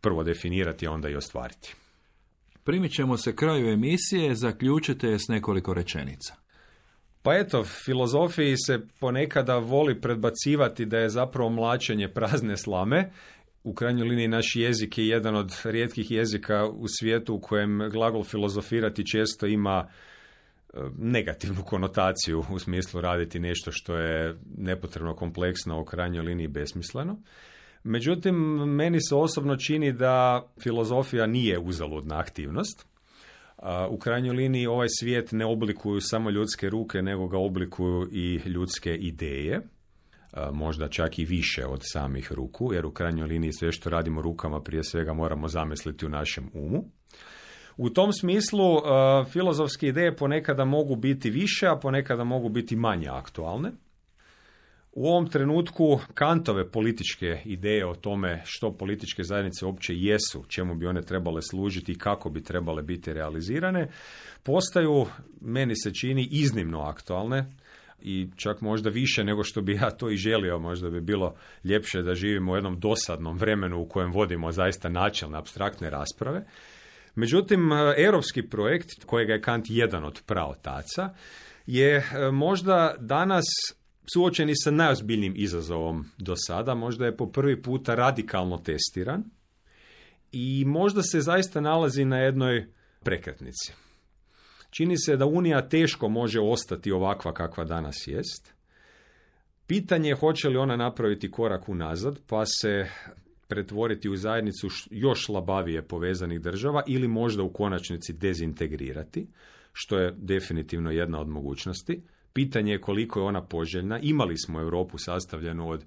prvo definirati, a onda i ostvariti. Primit ćemo se kraju emisije, zaključite je s nekoliko rečenica. Pa eto, filozofiji se ponekada voli predbacivati da je zapravo mlaćenje prazne slame. U krajnjoj liniji naš jezik je jedan od rijetkih jezika u svijetu u kojem glagol filozofirati često ima negativnu konotaciju u smislu raditi nešto što je nepotrebno kompleksno, u krajnjoj liniji besmisleno. Međutim, meni se osobno čini da filozofija nije uzaludna aktivnost. U krajnjoj liniji ovaj svijet ne oblikuju samo ljudske ruke, nego ga oblikuju i ljudske ideje. Možda čak i više od samih ruku, jer u krajnjoj liniji sve što radimo rukama prije svega moramo zamisliti u našem umu. U tom smislu filozofske ideje ponekada mogu biti više, a ponekada mogu biti manje aktualne. U ovom trenutku Kantove političke ideje o tome što političke zajednice uopće jesu, čemu bi one trebale služiti i kako bi trebale biti realizirane, postaju, meni se čini, iznimno aktualne i čak možda više nego što bi ja to i želio. Možda bi bilo ljepše da živimo u jednom dosadnom vremenu u kojem vodimo zaista načelne, apstraktne rasprave. Međutim, europski projekt, kojega je Kant jedan od praotaca, je možda danas suočeni sa najozbiljnijim izazovom do sada, možda je po prvi puta radikalno testiran i možda se zaista nalazi na jednoj prekretnici. Čini se da Unija teško može ostati ovakva kakva danas jest. Pitanje je hoće li ona napraviti korak unazad pa se pretvoriti u zajednicu još slabavije povezanih država ili možda u konačnici dezintegrirati, što je definitivno jedna od mogućnosti. Pitanje je koliko je ona poželjna. Imali smo Europu sastavljenu od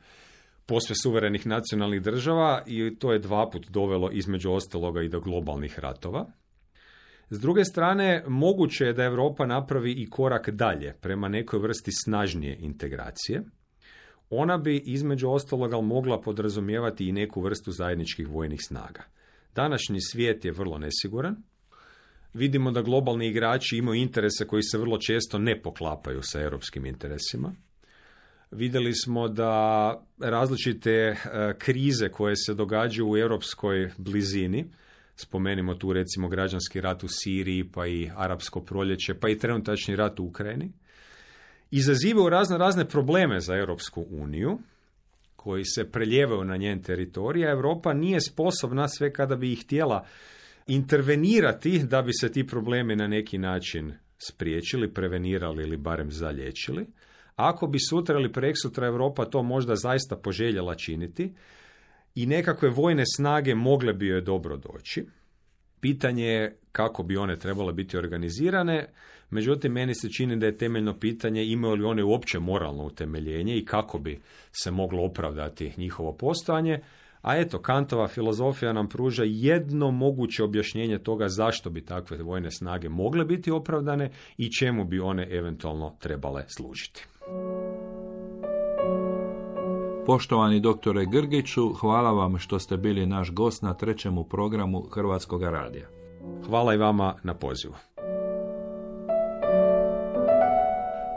posve suverenih nacionalnih država i to je 2 puta dovelo između ostaloga i do globalnih ratova. S druge strane, moguće je da Europa napravi i korak dalje prema nekoj vrsti snažnije integracije. Ona bi između ostaloga mogla podrazumijevati i neku vrstu zajedničkih vojnih snaga. Današnji svijet je vrlo nesiguran. Vidimo da globalni igrači imaju interese koji se vrlo često ne poklapaju sa europskim interesima. Vidjeli smo da različite krize koje se događaju u europskoj blizini, spomenimo tu recimo građanski rat u Siriji, pa i arapsko proljeće, pa i trenutačni rat u Ukrajini, izazivaju razne probleme za Europsku uniju, koji se preljevaju na njen teritorij, a Europa nije sposobna sve kada bi ih htjela intervenirati da bi se ti problemi na neki način spriječili, prevenirali ili barem zaliječili. Ako bi sutra ili preksutra Europa to možda zaista poželjela činiti i nekakve vojne snage mogle bi joj dobro doći, pitanje je kako bi one trebale biti organizirane, međutim meni se čini da je temeljno pitanje imaju li one uopće moralno utemeljenje i kako bi se moglo opravdati njihovo postojanje. A eto, Kantova filozofija nam pruža jedno moguće objašnjenje toga zašto bi takve vojne snage mogle biti opravdane i čemu bi one eventualno trebale služiti. Poštovani doktore Grgiću, hvala vam što ste bili naš gost na 3. programu Hrvatskog radija. Hvala i vama na pozivu.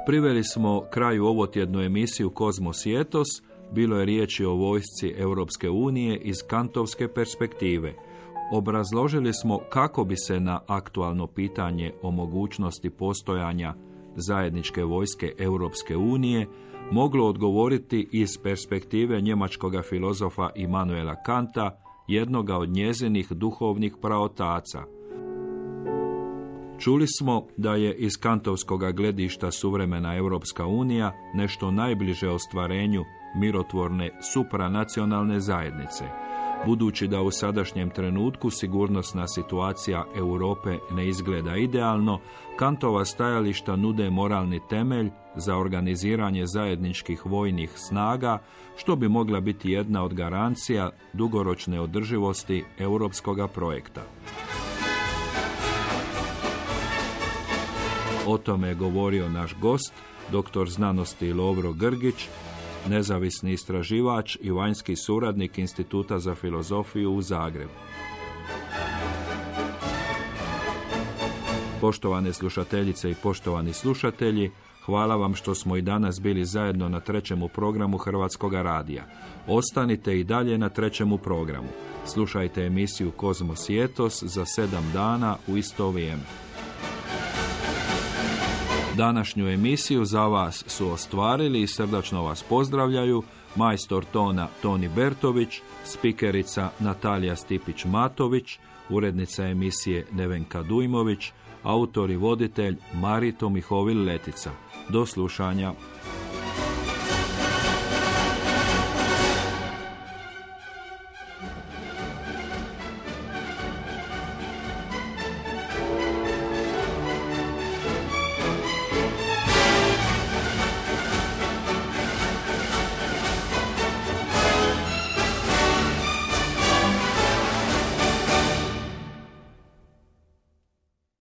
Priveli smo kraju ovotjednu emisiju Kozmos i etos. Bilo je riječi o vojsci Europske unije iz kantovske perspektive. Obrazložili smo kako bi se na aktualno pitanje o mogućnosti postojanja zajedničke vojske Europske unije moglo odgovoriti iz perspektive njemačkog filozofa Immanuela Kanta, jednoga od njezinih duhovnih praotaca. Čuli smo da je iz kantovskog gledišta suvremena Europska unija nešto najbliže ostvarenju mirotvorne supranacionalne zajednice. Budući da u sadašnjem trenutku sigurnosna situacija Europe ne izgleda idealno, Kantova stajališta nude moralni temelj za organiziranje zajedničkih vojnih snaga, što bi mogla biti jedna od garancija dugoročne održivosti europskoga projekta. O tome je govorio naš gost, doktor znanosti Lovro Grgić, nezavisni istraživač i vanjski suradnik Instituta za filozofiju u Zagrebu. Poštovane slušateljice i poštovani slušatelji, hvala vam što smo i danas bili zajedno na trećemu programu Hrvatskoga radija. Ostanite i dalje na trećemu programu. Slušajte emisiju Kozmos i etos za 7 dana u isto vrijeme. Današnju emisiju za vas su ostvarili i srdačno vas pozdravljaju majstor tona Toni Bertović, spikerica Natalija Stipić-Matović, urednica emisije Nevenka Dujmović, autor i voditelj Marito Mihovil Letica. Do slušanja.